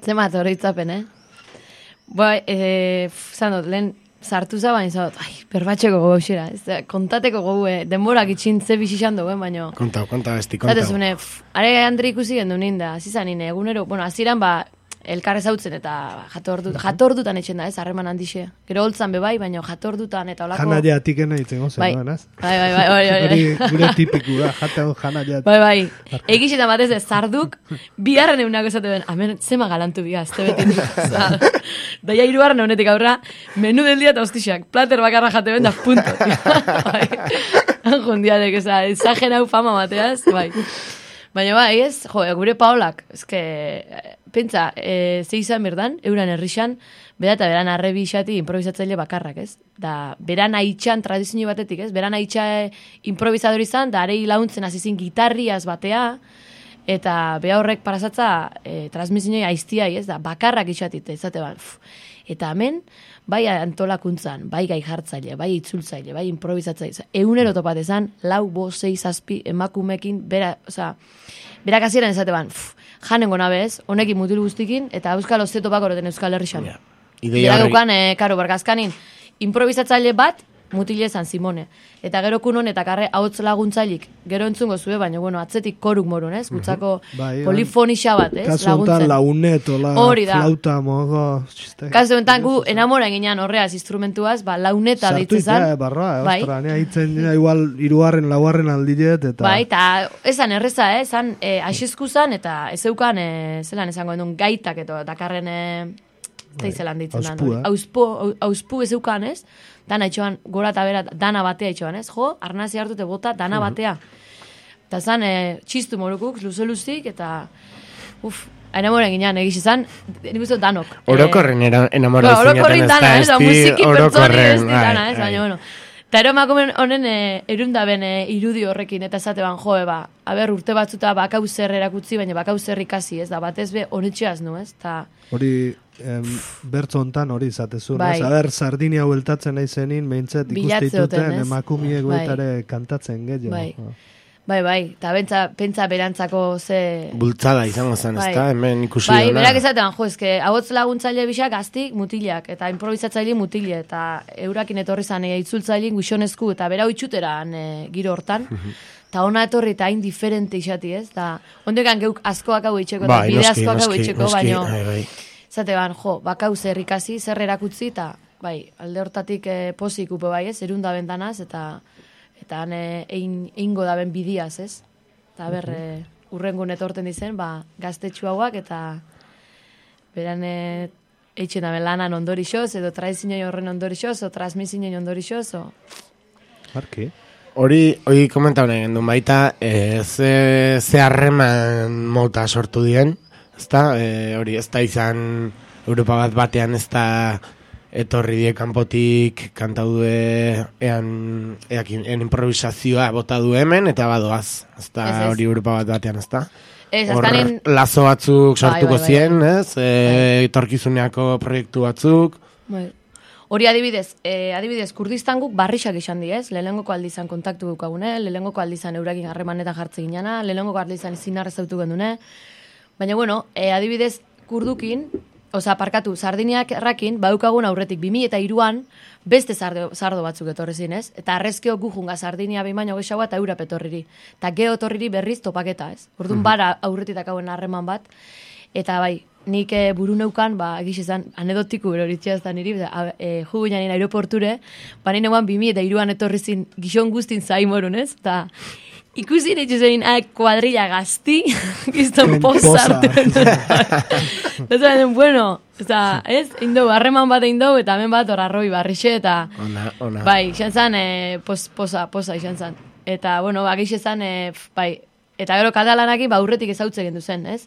S3: Zemat horretzapen, Bai, zanot, lehen sartu zabain, zanot, berbatxeko gogo xera, kontateko gogo, denborak itxin ze bizizan dugu, baina...
S4: Konta besti,
S3: Zatezune, are Andri ikusi gendu ninda, zizanin, egunero, aziran, elkarrez hautzen eta jatordutan etxen da, harreman handixe. Gero holtzan bebai, baina jatordutan eta olako...
S2: Janaia atikena ditzen gozen,
S3: bai.
S2: Bai. Gure tipiku da, jatean janaia.
S3: Bai. Egixetan batez ez, zarduk, bigarren egunako esate ben, hemen zema galantu biga, ez tebetin. Daia hirugarren honetik aurra, menu del dia eta hostixak, plater bakarra jate ben da, punto. Anjondiadek, ezagen hau fama bateaz, bai. Baina bai, ez, gure Paolak, ezke, pentsa, ze izan berdan, euran herrixan, bera eta beran arrebi xati improvisatzaile bakarrak, ez? Da, beran haitxan tradizio batetik, ez? Beran haitxa improvisador izan, da arei launtzen azizin gitarriaz batea, eta beha horrek parazatza transmisioi aiztiai, ez? Da, bakarrak itxatit, ezate ban. Eta hemen, bai antolakuntzan, bai gai jartzaile, bai itzultzaile, bai improvisatzaile. Egunero topat ezan, 4, 5, 6, 7 emakumekin, berak hasieran ezate ban, janengo nabez, honekin mutil guztikin, eta euskal ozetopak oroten Euskal Herrixan. Bera dukan, karo, bargazkanin, improvisatzaile bat, mutile ezan Simone. Eta gero kunon eta karre hauts laguntzailik, gero entzungo zue, baina, atzetik koruk morun, ez? Gutzako polifonixa bat, ez?
S2: Kasu honetan launet, flauta, mogo...
S3: Kasu honetan gu enamora eginean horreaz instrumentuaz, launeta deitzezan.
S2: Sartu, barroa, ostra, nea hitzen igual 3, 4 aldiet, eta...
S3: Bai, eta esan erreza, esan asizku zan, eta ez eukan, zelan esango endun gaitak, eta dakarren... Eta izelan ditzen da. Auspu ez eukan, ez? Dana itxoan, gora eta bera, dana batea itxoan, ez? Jo, arnazi hartute bota, dana batea. Eta zan, txistu morukuk, luze-luzik, eta... enamoren ginean, egiz izan, nik uste danok.
S4: Orokorren enamoren zineten ez da,
S3: musiki pertsoni ez dana, ez? Baina, bueno. Eta ero emakumen honen erundaben irudi horrekin, eta esate ban, urte batzuta bakau zer erakutzi, baina bakau zer ikasi, ez da, batez be honetxeaz nu, ez?
S2: Hori, bertzo hontan hori izatezun, ez? Aber, Sardinia hueltatzen nahi zenin, behintzat ikustituten emakumiek goetare kantatzen gehiago.
S3: Bai, eta pentsa berantzako ze...
S4: Bultzada izango zen, ez da, hemen ikusi
S3: dona. Bai, berak ezatean, hauts laguntzaile bisak gaztik mutiliak, eta improvisatzaile mutile, eta eurakin etorri zan itzultzaile guixonezku, eta bera itxuteran giro hortan, eta ona etorri eta hain diferente isati, ez? Ondekan geuk askoak hau itxeko, eta bide askoak hau itxeko, baino... Zatean, bakau zer ikasi, zer erakutzi, eta alde hortatik pozik upe bai, ez? Erunda bentanaz, eta han eingo daben bidiaz, ez? Eta urrengun etorten dizen, gaztetxu hauak, eta beran eitzen daben lanan ondorixoz, edo tradizinoi horren ondorixoz, o transmisinoi ondorixoz, o...
S2: Arki.
S4: Hori komentau nahi gendun baita, ze harreman mota sortu dien, ezta? Hori ez da izan Europa batean ez da etorri die kanpotik kantau ean improvisazioa bota du hemen, eta badoaz. Ez da hori Europa batean, ez da? Hor lazo batzuk sortuko zien, ez? Etorkizuneako proiektu batzuk.
S3: Hori adibidez, Kurdistan guk barrixak izan di, ez? Lehenengoko aldizan kontaktu dukagune, lehenengoko aldizan eurakin harremanetan jartze ginana, lehenengoko aldizan izinarrez autu gendune. Baina, adibidez, kurdukin, Sardiniak errakin, baukagun aurretik 2003an, beste sardo batzuk etorri zinez, eta arrezkeo gujunga Sardinia bimaino gexaua eta eurap etorriri. Eta geho etorriri berriz topaketa, ez? Orduan bara aurretitak hauen harreman bat, eta nik buru neukan, egiz ezan, anedotiku beroritxea ez da niri, jugu janin aeroporture, nire neuan 2003an etorri zin gizon guztin zaimorun, ez? Eta ikusi netxu zein kuadrilla gazti, gizton posartu. Eta bueno, ez? Indou, harreman bat indou, eta hemen bat horarroi barrixe, eta...
S4: Ona.
S3: Bai, izan zan, posa izan zan. Eta, bueno, egiz ezan, eta gero katalanakin, aurretik ezautze gendu zen, ez?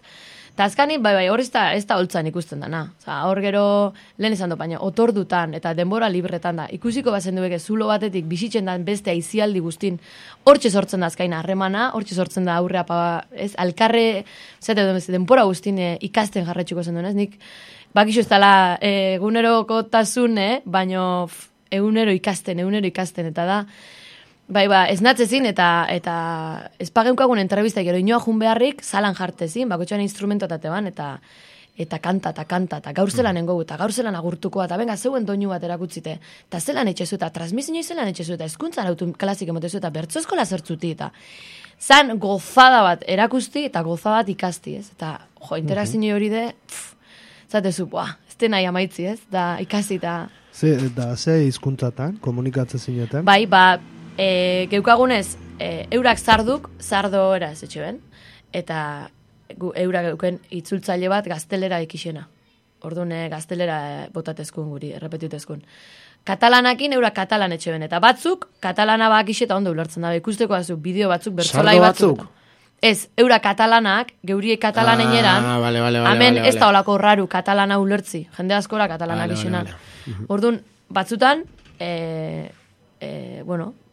S3: Eta azkani, bai, hor ez da holtzan ikusten dana. Hor gero, lehen esan baina, otordutan eta denbora libretan da. Ikusiko bazen dueke, zulo batetik bizitzen da beste aizialdi guztin, hortxe sortzen da azkaina harremana, hortxe sortzen da aurrea, ez, alkarre, denbora guztin ikasten jarretxuko zen duen, ez, nik, bakixo ez dela eguneroko tasun, baino egunero ikasten, eta da, bai, ez natzezin, eta ez pageukagun entrevistak, gero inoa jun beharrik, zalan jartezin, bakotxoan instrumentotate ban, eta kanta, eta gaur zelan engogu, eta gaur zelan agurtukoa, eta benga, zeuen doinu bat erakutzite, eta zelan etxezu, eta transmisioi zelan etxezu, eta eskuntzan autu klasik emotezu, eta bertzo eskola zertzuti, eta zan gozada bat erakusti, eta gozada bat ikasti, ez? Eta, interakzio hori de, zatezu, ez den nahi amaitzi, ez? Da, ikasi, eta...
S2: Ze hizkuntzatan, komunikatzen zineten?
S3: Bai, geukagunez, eurak zardo eraz etxe ben, eta eurak geuken itzultzaile bat gaztelera ikixena. Orduan gaztelera botatezkun guri, errepetitezkun. Katalanakin eurak katalan etxe ben, eta batzuk katalana bakixe eta ondo ulertzen dabe. Ikusteko batzuk, bideo batzuk, bertzolai batzuk. Ez, eurak katalanak, geuriek katalanen eran, hemen ez da olako raru katalana ulertzi. Jende askora katalanak izena. Orduan, batzutan,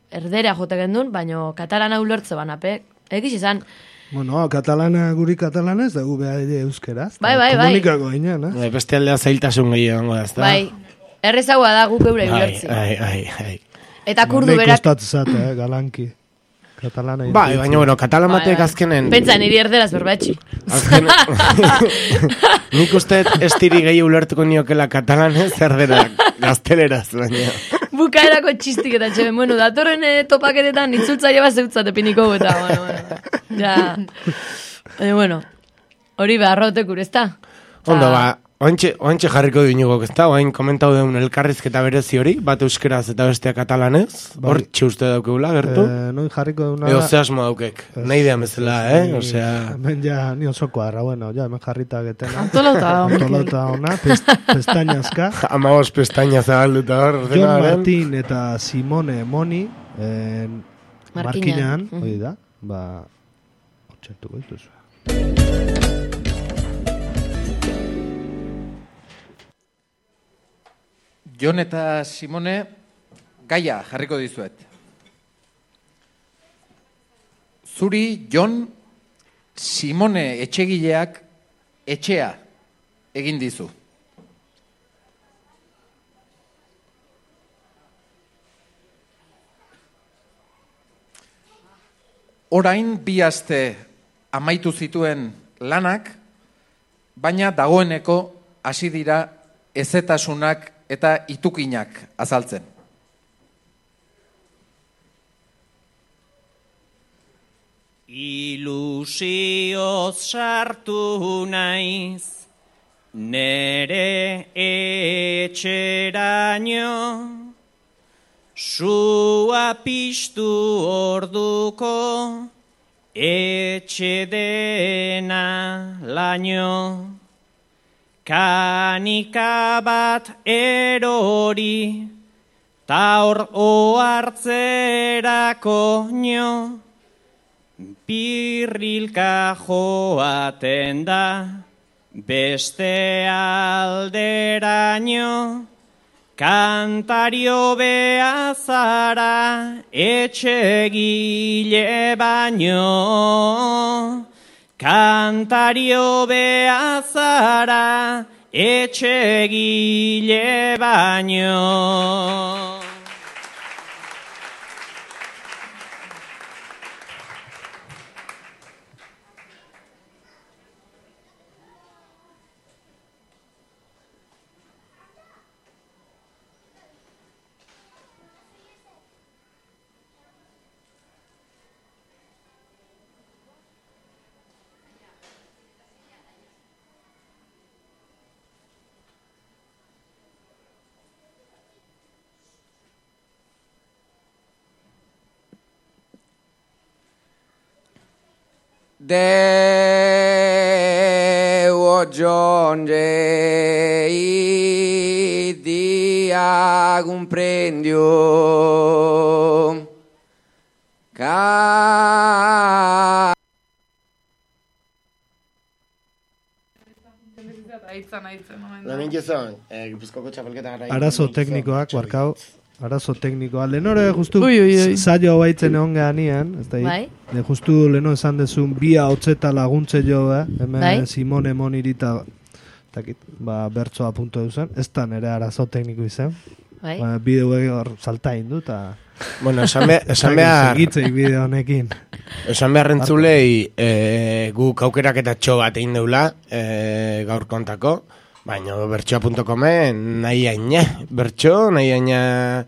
S3: erderea jote gendun, baino katalana ulertze banape, egiz izan.
S2: Bueno, katalana guri katalanez, da gu behar euskeraz.
S3: Bai.
S2: Komunikako ginen,
S4: eh? Beste aldea zailtasun gehiago da, ez da?
S3: Bai, errezagoa da guk eure ulertzi.
S4: Bai.
S3: Eta kurdu berak...
S2: Nei kostatzate, galanki. Katalana.
S4: Bai, baina, bueno, katalan batek azkenen...
S3: Pentsa, niri erderaz berbatxi.
S4: Nik uste ez tiri gehi ulertuko niokela katalanez, erdera gazteleraz, baina...
S3: Bukaerako txistik eta txeben, bueno, datorren topaketetan itzultzaile bat zeutzate piniko eta, ja... Bueno, hori beharrotek urezta.
S4: Ondo, oantxe jarriko du inugok, ez da? Oain komentau deun elkarrizketa berezi hori, bat euskeraz eta bestea katalanez. Hor txuste daukegula, gertu?
S2: Noin jarriko deuna...
S4: Ego ze asmo daukek, nahi dean bezala, Osea...
S2: Hemen ja, ni osoko arra, bueno, ja, hemen jarrita getena.
S7: Antolota
S2: ona, pestañazka.
S4: 15 pestaña zabalduta hor.
S2: Jon Martin eta Simone Moni, markinean, hori da, hortxertuko dituzu.
S13: Jon eta Simone, gaia jarriko dizuet. Zuri, Jon, Simone etxegileak etxea egin dizu. Orain bi aste amaitu zituen lanak, baina dagoeneko hasi dira ezetasunak eta itukinak azaltzen.
S10: Ilusioz sartu naiz, nere etxeraino, sua piztu orduko, etxe dena laino. Kanika bat erori, ta hor ohartzerako nio, birrilka joaten da, beste alderaino, kantario behazara, etxegile baino. Kantario behazara, etxegile baino.
S14: Devo giungere dia comprendio
S4: Lehenik ezan, Gipuzkoako txapelketa gara.
S2: Arazo teknikoak, barkau. Arazo teknikoa. Lehenore justu
S7: Ui.
S2: saio baitzen egon gehanean, ez da
S3: Bai.
S2: justu leheno esan dezun bia hotzeta laguntze jo, hemen
S3: Bai.
S2: Simone Monirita bertsoa punto duzen, ez da nire arazo tekniko izan.
S3: Bai.
S2: Bideo hor salta indu, eta...
S4: Bueno, esan behar...
S2: Segitzeik bideo honekin.
S4: Esan behar rentzulei guk aukerak eta txo bat egin deula gaur kontako, baina bertsoa.comen nahi aina bertso, nahi aina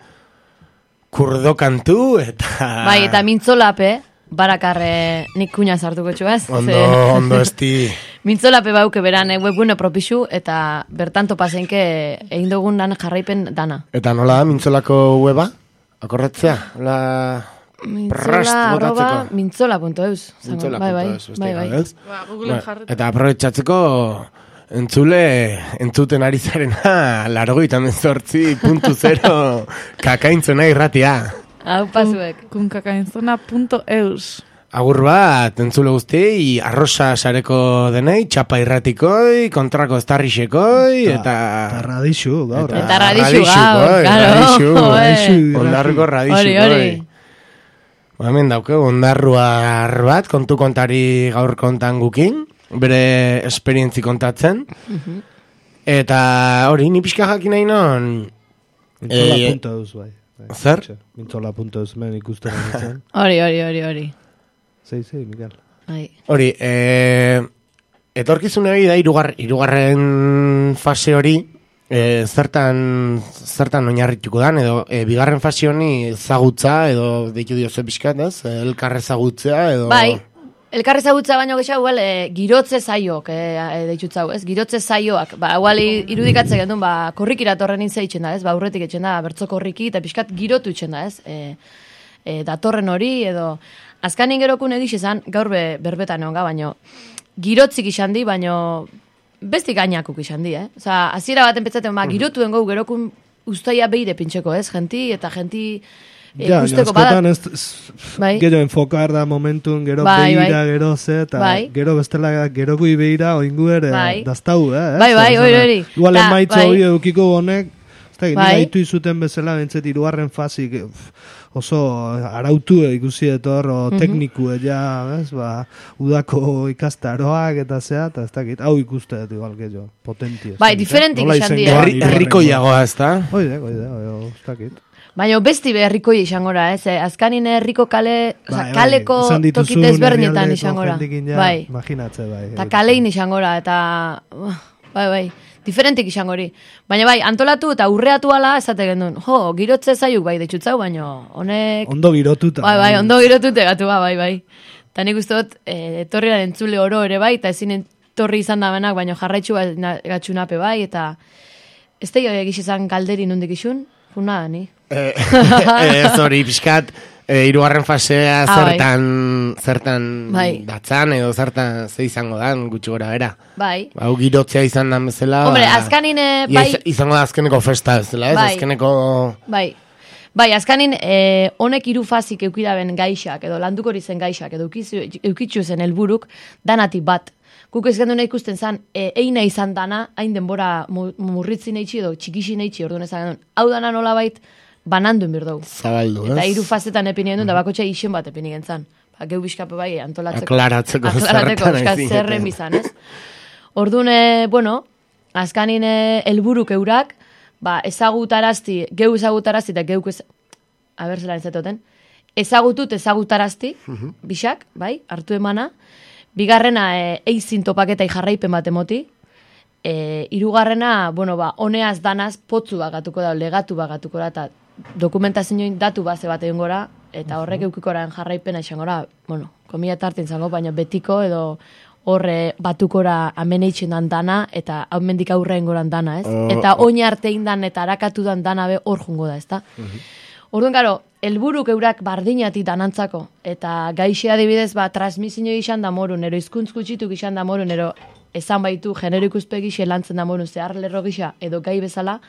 S4: kurdo kantu, eta...
S3: Bai, eta mintzolape, barakarre nik kuña sartuko txuaz.
S4: Ondo esti...
S3: Mintzolape bauke beran webgune propixu, eta bertanto pasenke egin dugun dan jarraipen dana.
S4: Eta nola da mintzolako weba? Akorretzea?
S3: Mintzola.eus.
S4: Mintzola.eus.
S7: Google jarretu.
S4: Eta aprobetxatzeko entzuten ari zarena 98.0 kakaintzona irratia.
S3: Hau pasuek.
S7: Kunkakainzona.eus.
S4: Agur bat, entzule guztiei, arrosa sareko denei, txapa irratikoi, kontrako estarrixekoi, eta...
S2: Eta radixu, gaur.
S3: Eta radixu, gaur,
S4: ondarruko radixukoi. Hemen dauke, ondarruar bat, kontu kontari gaur kontan gukin, bere esperientzi kontatzen. Eta hori, ni pixka jakin nahi non...
S2: Mintzola.eus, bai.
S4: Zer?
S2: Mintzola.eus, men ikusten nintzen.
S3: Hori.
S2: Sei, Miguel.
S3: Hori,
S4: etorkizune hori da, hirugarren fase hori, zertan oinarrituko dan, edo bigarren fase honi ezagutza, edo deitu dioze pixkat, ez? Elkarre ezagutzea, edo...
S3: Bai, elkarre ezagutza baino gehiago, girotze zaiok, deitzutzau, ez? Girotze zaioak, igual irudikatze gendun, korriki iratorren intzeitzen da, ez? Aurretik etxen da, bertzo korriki, eta pixkat girotu etxen da, ez? Datorren hori, edo... Azkanin gerokun egiz izan, gaur berbetan egon baino, girotzik izan di, baino bestik gainakuk izan di, Osa, aziera baten petzaten, girotu dengo gerokun ustaia behire pintxeko, ez? Genti ikusteko
S2: badak. Gero enfokar da momentun, gero behira, gero ze, eta gero bestela, gero gui behira, oingu ere, daztau,
S3: hori.
S2: Igual emaitza hori edukiko honek, nire haitu izuten bezala, bentzet, irugarren fazik, oso arautu ikusi etor, tekniku udako ikastaroak eta zea, eta ez dakit, hau ikuste igual gehiago, potentia.
S3: Bai, diferentik izan dira.
S4: Herrikoiagoa, ez da?
S2: Oide, ez dakit.
S3: Baina besti herrikoi izangora, ez? Azkanin herriko kaleko tokit ezberdinetan izangora.
S2: Bai, imaginatze, bai.
S3: Eta kalein izangora, eta... Bai. Diferentik izango hori. Baina bai, antolatu eta urreatu ala esate gendun. Girotze zaiuk bai, deitzutzau, baina honek...
S2: Ondo girotuta.
S3: Bai, ondo girotute gatu bai. Eta nik uste dut, etorriaren entzule oro ere bai, eta ezin etorri izan da benak, baina jarraitzu gatxunape bai, eta... Ez da egiz izan galderi nondik isun? Funa da, ni?
S4: Hori, pixkat... Hirugarren fasea zertan datzan, edo zertan ze izango dan, gutxi gora bera.
S3: Bai.
S4: Hau girotzea izan dan bezala.
S3: Hombre, azkanin...
S4: Izango da azkeneko festa bezala, ez? Azkeneko...
S3: Bai, azkanin honek hiru fazik eukidaben gaixak, edo landuko zen gaixak, edo eukitzu zen helburuk danatik bat. Guk ez genduna ikusten zan, eina izan dana, hain denbora murritzin eitxi edo txikixin eitxi, orduan ezan gendun. Hau dana nola bait, banandun birdou.
S4: Zabaldu, ez?
S3: Eta hiru fazetan epinien duen, da bakotxa isen bat epinien zan. Geu bizkape bai, antolatzeko.
S4: Aklaratzeko
S3: zerren bizan, ez? Orduan, azkanin helburuk eurak, ezagutarazti, geu ezagutarazti, eta geuk zelan ezatoten, ezagutut ezagutarazti, bisak, bai, hartu emana, bigarrena eizin topaketai jarraipen bat emoti, hirugarrena, honeaz danaz, potzu bagatuko da, legatu bagatuko da, eta dokumentazioin datu base bat egin gora, eta horrek eukikoraen jarraipena izan gora, komila tartin zango, baina betiko edo horre batukora ameneitzen dan dana, eta hau mendik aurrean goran dana, ez? Eta oin artein dan eta harakatu dan dana be hor jungo da, ez da? Orduan, garo, helburuk eurak bardinatik danantzako, eta gaixe adibidez, transmisio izan da morun, ero izkuntz gutxituk izan da morun, ero esan baitu genero ikuspegi lantzen da morun, zehar lerro gisa edo gai bezala,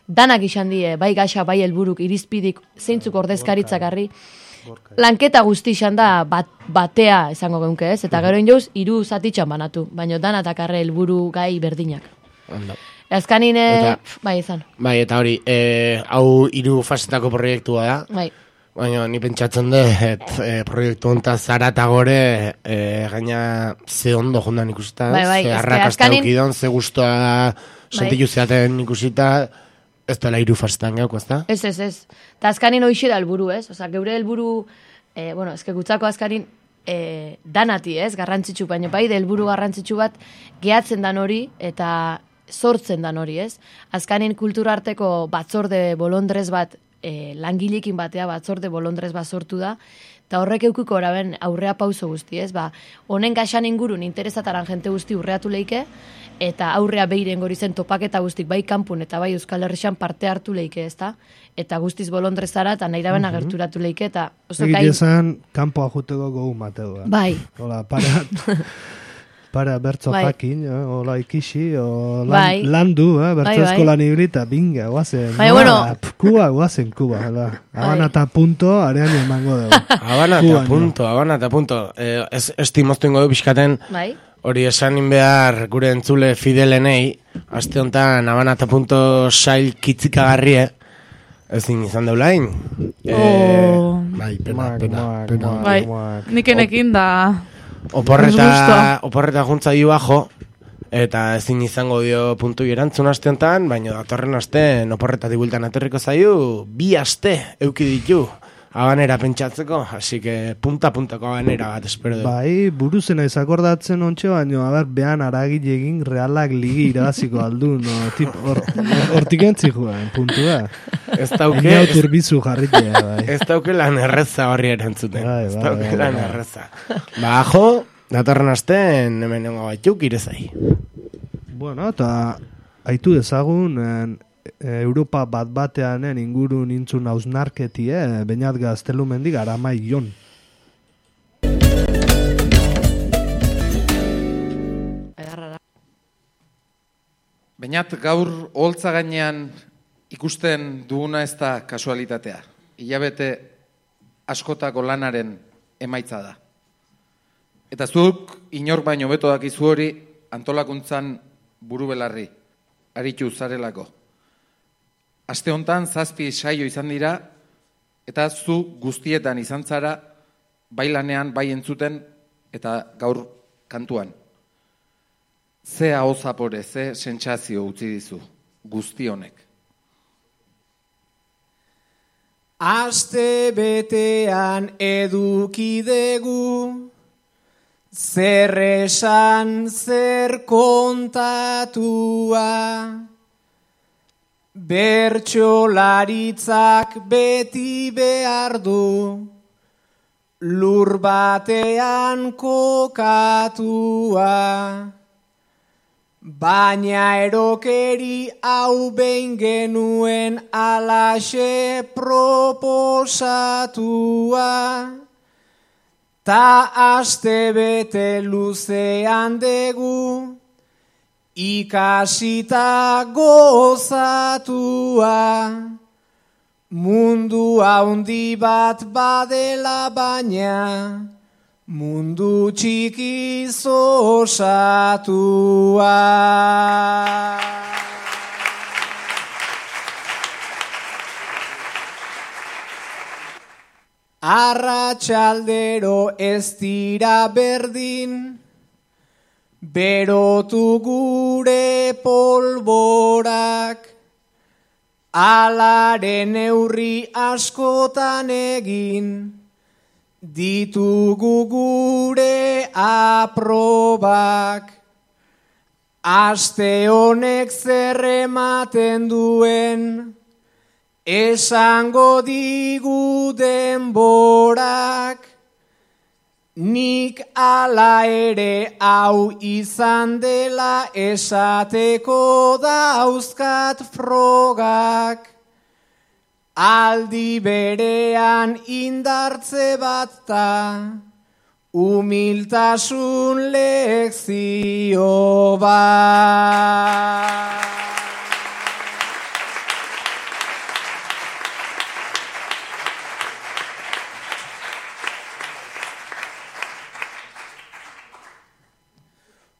S3: danak izan die, bai gaxa, bai helburuk, irizpidik, zeintzuk ordezkaritzak harri, lanketa guztixan da batea esango geunke, ez? Eta gero injoz, 3 zatitxan banatu, baina dana takarre helburu gai berdinak. Azkanin, bai, izan.
S4: Bai, eta hori, hau 3 fasetako proiektua da.
S3: Bai.
S4: Baina ni pentsatzen dut, proiektu hontaz zara eta gore, gaina ze ondo jondan ikusita, ze arrakasta eukidon, ze guztua sentitu zeaten ikusita, ez dela 3 fasetan gauko, ez da?
S3: Ez. Eta azkanin hoxe da helburu, ez? Osa, geure helburu, ezke gutzako azkanin, danati, ez? Garrantzitsu, baina bai, helburu garrantzitsu bat, gehatzen dan hori, eta sortzen dan hori, ez? Azkanin kulturarteko batzorde bolondrez bat, langilekin batea batzorde bolondrez bat sortu da, eta horrek eukiko oraben aurrea pauso guzti, ez? Honen gaxan ingurun interesataran jente guzti urreatu leike, eta aurrea behiren gori zen topaketa guztik bai kanpun eta bai Euskal Herrixan parte hartu leike, ez da? Eta guztiz bolondrezara eta nahi daben agerturatu leike, eta...
S2: Egitea zen, kanpoa juteko gogu mateu.
S3: Bai.
S2: Hola, para bertzo jakin, hola ikisi, landu, bertzo eskolan ibrita, binga, guazen. Kuba, Habana eta punto, arean emango dugu.
S4: Habana eta punto. Esti moztu ingo du pixkaten, hori esanin behar gure entzule fidelenei, aste honetan Habana eta punto sail kitzikagarrie, ezin izan deulain. Bai, pena.
S7: Bai, nikenekin da...
S4: Oporreta juntza dio bajo, eta ezin izango dio puntu erantzun aste honetan, baina datorren aste oporreta dibultan aterriko zaio, 2 aste euki ditu Habanera pentsatzeko, así que punta-puntako Habanera bat espero du.
S2: Bai, buruzena izakordatzen ontxe, baina behan aragile egin realak ligi irabaziko aldu, hortik entzi joan, puntu da.
S4: Ez dauke...
S2: Enia turbizu jarritea, bai.
S4: Ez dauke lan erreza horri erantzuten. Ez dauke lan erreza. Bajo, datorren asten, hemen nengo baituk irezai.
S2: Bueno, eta haitu dezagun... Europa bateanen inguru nintzun hausnarketi, Beñat Gaztelumendik Aramai Jon.
S13: Beñat, gaur oholtza gainean ikusten duguna ez da kasualitatea. Hilabete askotako lanaren emaitza da. Eta zuk inor baino beto dakizu hori antolakuntzan buru belarri, aritu zarelako. Aste hontan 7 saio izan dira, eta zu guztietan izan zara, bai lanean, bai entzuten, eta gaur kantuan. Ze aho zapore, ze sentsazio utzi dizu, guzti honek.
S10: Aste betean edukidegu, zer esan, zer kontatua, bertsolaritzak beti behar du, lur batean kokatua. Baina erokeri hau behin genuen alaxe proposatua, ta aste bete luzean degu, ikasita gozatua, mundu haundi bat badela baina, mundu txikiz osatua. Arratsaldero ez dira berdin, berotu gure polborak, alaren neurri askotan egin, ditugu gure aprobak. Aste honek zer ematen duen, esango digu denborak. Nik ala ere hau izan dela esateko dauzkat frogak. Aldi berean indartze bat da, humiltasun lekzio bat.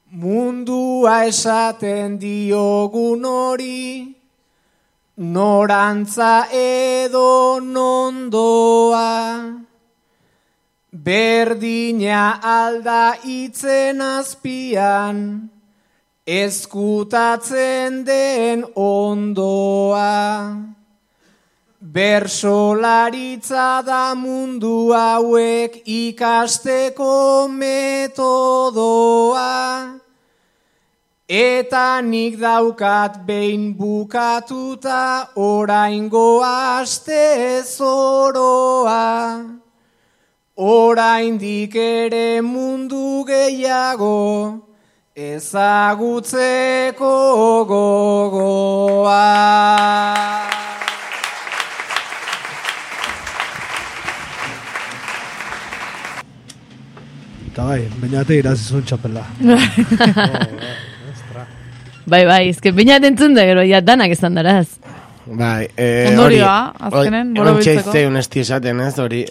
S10: Mundua esaten diogun hori, norantza edo nondoa. Berdina alda itzen azpian, ezkutatzen den ondoa. Bersolaritza da mundu hauek ikasteko metodoa. Eta nik daukat behin bukatuta oraingo aste zoroa. Oraindik ere mundu gehiago ezagutzeko gogoa.
S2: Eta bai, bainate irazizun txapela.
S3: Bai, ezken bainat entzun da gero, ja danak esan daraz.
S4: Bai,
S7: ondorioa, azkenen, borobiltzeko.
S4: Ontsa unesti esaten, ez, hori,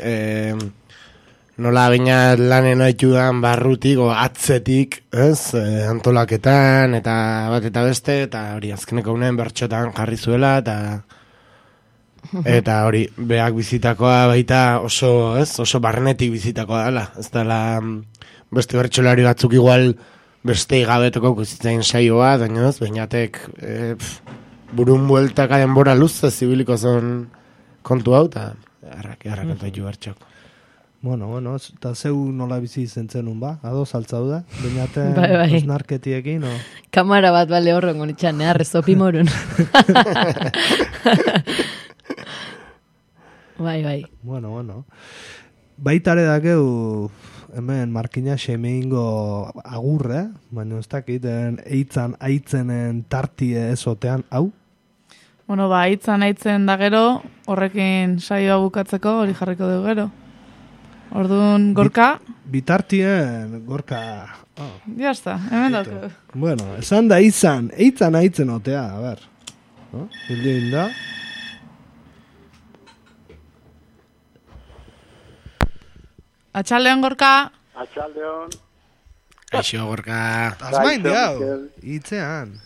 S4: nola bainat lanen oitudan barrutik, o atzetik, ez, antolaketan, eta bat eta beste, eta hori, azkeneko unen bertxotan jarri zuela, eta hori, beak bizitakoa baita oso, ez, oso barnetik bizitakoa dela, ez dela beste bertxolari batzuk igual beste igabetoko ikusitzen saioa, daino ez, bainatek burun bueltaka denbora luzez zibiliko zon kontu hau, eta harrakatu bertxok.
S2: Bueno, eta zeu nola bizi izen zenun ba? Ados altzau da? Bainaten
S3: bai.
S2: osnarketiekin, o?
S3: Kamara bat bale horren gonitxan, arrezopi morun. Bai.
S2: Bueno. Baitare dakeu hemen markina semeingo agurre, baina ez dakit, aitzenen tartie ezotean, hau?
S7: Bueno, aitzen da gero, horrekin saioa bukatzeko hori jarriko dugu gero. Orduan, Gorka?
S2: Bitartien, Gorka...
S7: Ya está, hemen dauke.
S2: Bueno, esan da aitzen otea, a ber. Hildin da...
S7: Atxaldeon, Gorka.
S15: Atxaldeon.
S4: Kaixo, Gorka.
S2: Azmain diau, itzean.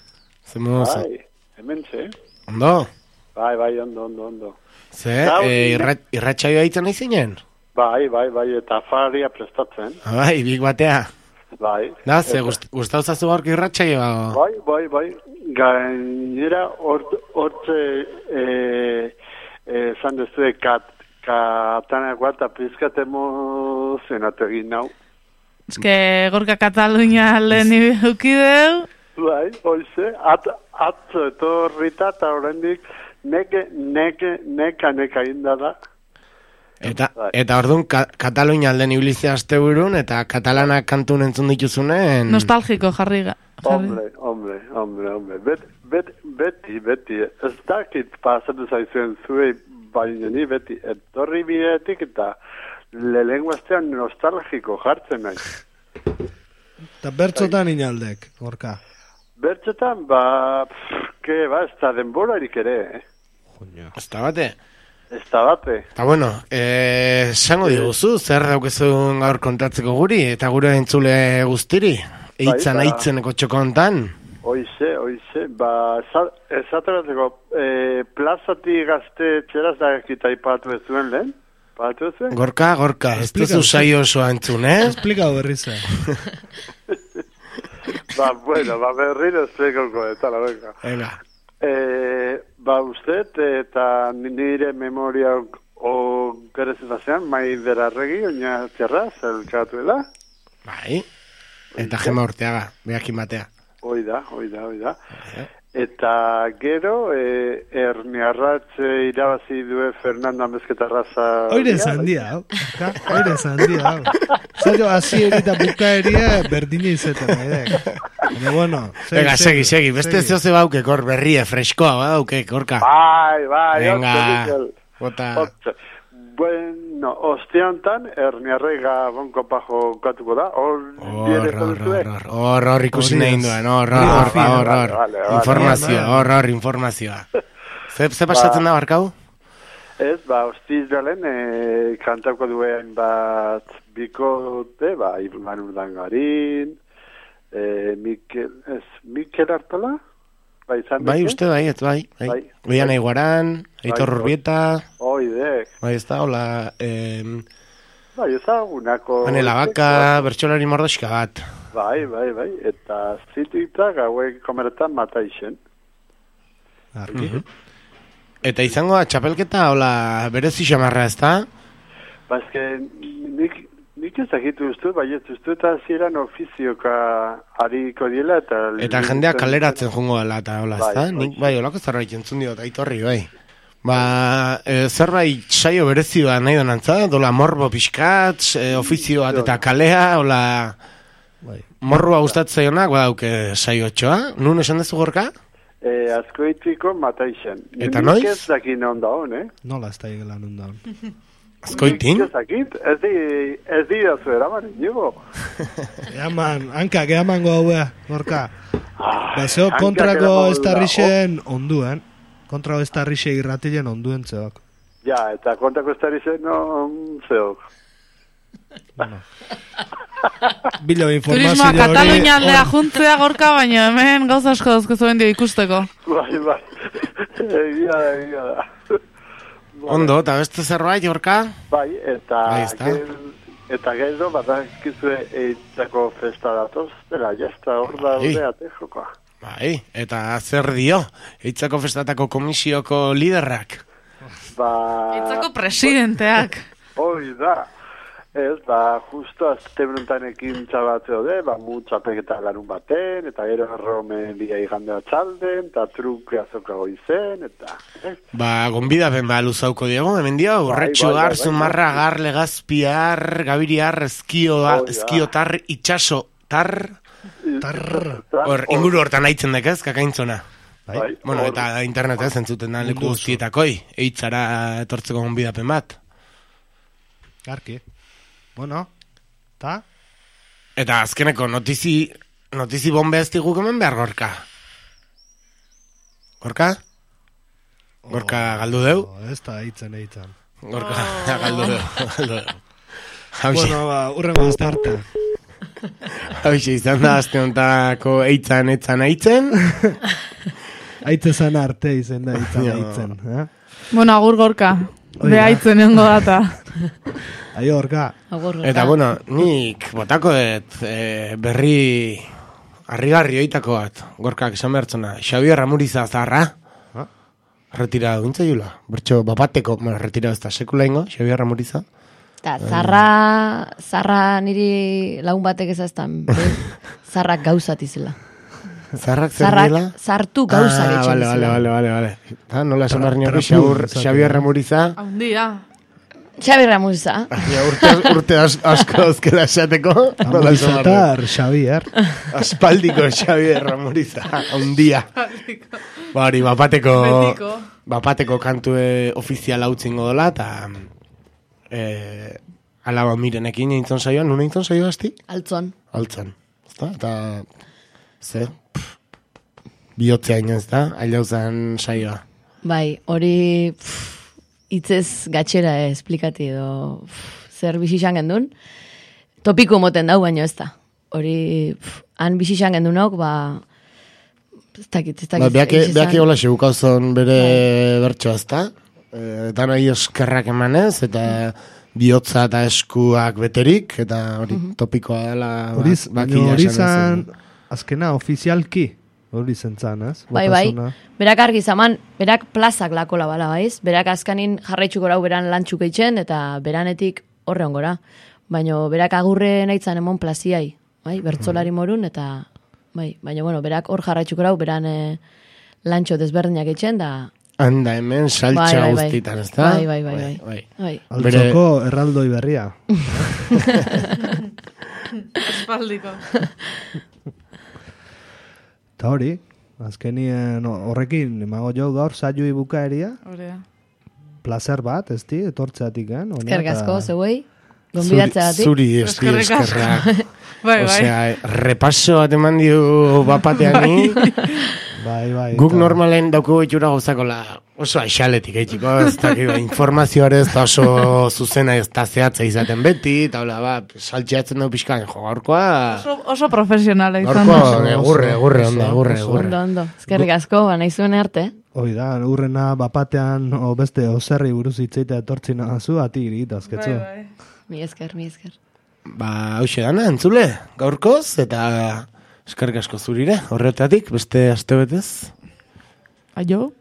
S4: Zemuz.
S15: Bai, hemen ze.
S4: Ondo?
S15: Bai, ondo.
S4: Ze, irratxaioa itzen nahi zinen?
S15: Bai, eta afaria prestatzen.
S4: Bai, bik batea.
S15: Bai.
S4: Da, ze, gustau zazu gaurko irratxaioa?
S15: Bai. Gainera, hortze, zan dezue, katanakoa eta pizkat emozionatu egin nau.
S7: Eske, Gorka Katalunia lehen eukideu.
S15: Bai, hoize, atzo etorrita eta horrendik neka indada.
S4: Eta orduan, Katalunia alden ibilizia asteburun, eta katalanak kantun entzun dituzunen...
S7: Nostalgiko jarri.
S15: Hombre. Beti. Ez dakit pasatu zaizuen zuei, baina ni beti etorri bidetik eta lehenguaztean nostalgiko jartzen nahi.
S2: Eta bertzotan inaldek, Gorka?
S15: Bertzotan, ez da denborarik ere,
S4: Ez da bate?
S15: Eta
S4: bueno, esango diguzu, zer daukezun gaur kontatzeko guri, eta gure entzule guztiri, aitzeneko txokontan.
S15: Oize, esaterateko, plazati gazte txeraz da ekita ipatu ez zuen lehen?
S4: Gorka, ez duzu saio osoa entzun,
S2: Esplikau berriz.
S15: Berriro esplikauko, eta la venga. Usted, eta nire memoria okerezetazioan, mai derarregi, oina txerra, zelkatuela.
S4: Bai, eta Gema Urteaga, behakin batea.
S15: Oida. Eta gero, Erniarratz irabazi due Fernando Amezketarraza...
S2: Oire zandia, hau. Zailo, azierita bukaeria berdine izetan, Baina, bueno...
S4: Venga, segi, beste zehoze bauke, kor, berrie, freskoa, bauke, Gorka.
S15: Bai,
S4: venga, bota...
S15: Bueno, osteantan, Erniarrega bonko pajo katuko da,
S4: Hor, ikusi nahi duen, hor, informazioa. Ze pasatzen da, Barkau?
S15: Ez, ostiz belen, kantauko duen bat bikote, Iban Urdangarin, Mikel Artola?
S4: Bai, uste bai. Oian Aiguaran, Aitor Urbieta.
S15: Oidek.
S4: Bai, ez da, hola...
S15: Bai, ezagunako...
S4: Anela Baka, bertsolari mordoxka bat.
S15: Bai. Eta zituitak hauek komeretan mataixen.
S4: Eta izango da, txapelketa, hola, berezi xamarra, ez da?
S15: Ba, eske, nik ezagitu ustu, bai ez ustu, eta ziren ofizioka hariko diela, eta
S4: jendeak kaleratzen jungo dela, eta hola, ez da? Nik, bai, holako zerbait entzun diot, Aitorri, bai. Ba, zerbait saio berezi bat nahi donantza, dola morbo pixkat, ofizio bat eta kalea, hola, morroa gustatzaionak, badauke saio txoa, nun esan dezu Gorka?
S15: Azkoitiko mataixen.
S4: Eta noiz?
S15: Nik ez dakin ondaun,
S2: Nola ez da egelan ondaun.
S4: Azkoitin?
S15: Nik ez dakit, ez dira zuera, mani, nigo.
S2: Hanka, gehamango haua, Gorka. Baseo kontrako estarrixen onduen. Kontrako estarrixe irratilen onduen zeok.
S15: Ja, eta kontrako estarrixen zeok.
S2: Bilo informazio hori...
S7: Turismoa Katalunia aldea juntzea Gorka, baina hemen gauza asko dauzko zuen dio ikusteko.
S15: Bai. Egia da.
S4: Ondo, eta beste zerbait, Gorka?
S15: Bai, eta gero, badakizue eitzako festa datoz, dela, jazta, hor da ordeate jokoa.
S4: Bai, eta zer dio, eitzako festatako komisioko liderrak?
S7: Eitzako presidenteak.
S15: Hoi da. Ez, justo azte bruntanekin txabatzeo de, txapeketa larun baten, eta gero erromen bia igandea txalden, eta truke azokago izen, eta...
S4: Gonbidapen luzauko diego, hemen dio, urretxo gar, zumarra gar, legazpiar, gabiriar, eskiotar, itxasotar... Inguru hortan haitzen dekez, kakaintzona. Bueno, eta internetez entzuten da leku guztietakoi, eitzara etortzeko gonbidapen bat.
S2: Garki. Bueno, ta?
S4: Eta azkeneko notizi bombe ez diguk hemen behar, Gorka? Gorka? Gorka galdu deu?
S2: Ez da, eitzen.
S4: Gorka galdu deu.
S2: Bueno, urrengo azte arte.
S4: Hauxe, izan da azte ontako eitzan.
S2: Aitzezan arte izan da eitzen.
S7: Bueno, agur Gorka. Beha aitzen nengo data.
S2: Aio, Gorka.
S4: Eta, bueno, nik botako berri harrigarri oitako bat, Gorkak esan behartzona. Xabier Ramuriza zaharra. Retira duintza jula. Bertxo, bapateko, retira ez da sekula ingo, Xabier Ramuriza.
S3: Eta, zarra niri lagun batek ezaztan, zarrak gauzat izela.
S4: Zarrak zer dela?
S3: Zartu gauzak etxen izela.
S4: Vale. Nola esan behar nioko Xabier Ramuriza?
S7: Haundia.
S3: Xabier Ramuriza.
S4: Urte asko azkela esateko.
S2: Ramurizatar Xabier.
S4: Aspaldiko Xabier Ramuriza. Haundia. Hori, bapateko kantue ofiziala utzingo dola, eta alaba mirenekin eintzon saioan, nuna eintzon saioa asti?
S3: Altzon.
S4: Eta zer? Bihotzea inoz da, ailauzan saioa.
S3: Bai, hori hitzez gatxera esplikati edo zer bizixan gendun. Topiko moten dau, baino ez da. Hori, han bizixan gendunok, ez dakit.
S4: Beaki hola xebukauzon bere bertsoa ez da. Eta nahi eskerrak emanez, eta bihotza eta eskuak beterik, eta hori topikoa dela.
S2: Hori zan, azkena ofizialki. Hori zentzan, ez?
S3: Bai, berak argi zaman, berak plazak lakola bala, baiz? Berak azkanin jarraitxuko rau beran lantxuk eitzen, eta beranetik horre ongora. Baina berak agurre nahitzan emon plaziai, bai? Bertzolari morun, eta bai, baina bueno, berak hor jarraitxuko rau beran lantxo desberdinak eitzen, da...
S4: Handa hemen saltxa guztitan, ez da?
S3: Bai.
S2: Altzoko erraldoi berria.
S7: Espaldiko.
S2: Eta hori, azkenien horrekin, emago jo gaur saioi bukaeria.
S7: Horea.
S2: Plazer bat, ez di, etortzeatik,
S3: Eskergazko, zeuei, gonbidatzeatik.
S4: Zuri, eskerrak. Osea, repaso bat eman diu bapateani.
S2: Bai.
S4: Guk normalen dauko itxura gauzakola Oso aixaletik eitiko, ez dakit, informazioare ez da oso zuzena ez da zehatza izaten beti, eta hola, saltxeatzen dugu pixkan, gaurkoa...
S7: Oso profesionala izan.
S4: Gaurkoa, egurre.
S3: Ondo. Ezkerrik asko, nahi zuen arte.
S2: Hoi da, urrena bapatean, o beste oserri buruz hitzeitea etortzina zu, ati irita, azketzu.
S3: Mi esker.
S4: Hauxe dana, entzule, gaurkoz, eta eskerrik asko zurire, horretatik, beste aste betez.
S7: Aio.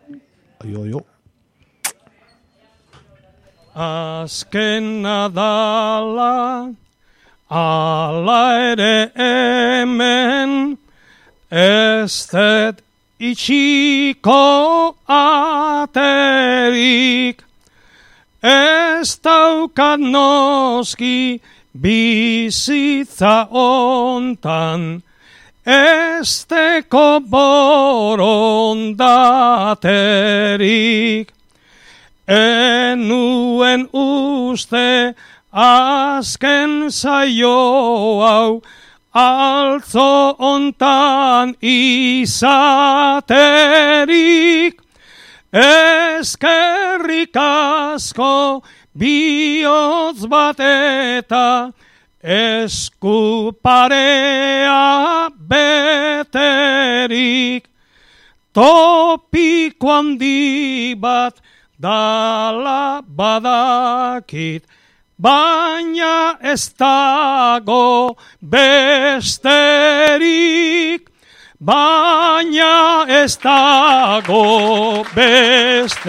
S16: Azken nadala, ala ere hemen, ez dut itxiko aterik, ez daukat noski bizitza ontan, ez teko borondaterik. Enuen uste azken zaio hau, altzo ontan izaterik. Eskerrik asko bihotz bat eta esku parea beterik. Topiko handi bat dala badakit, baina ez dago besterik. Baina ez dago besterik.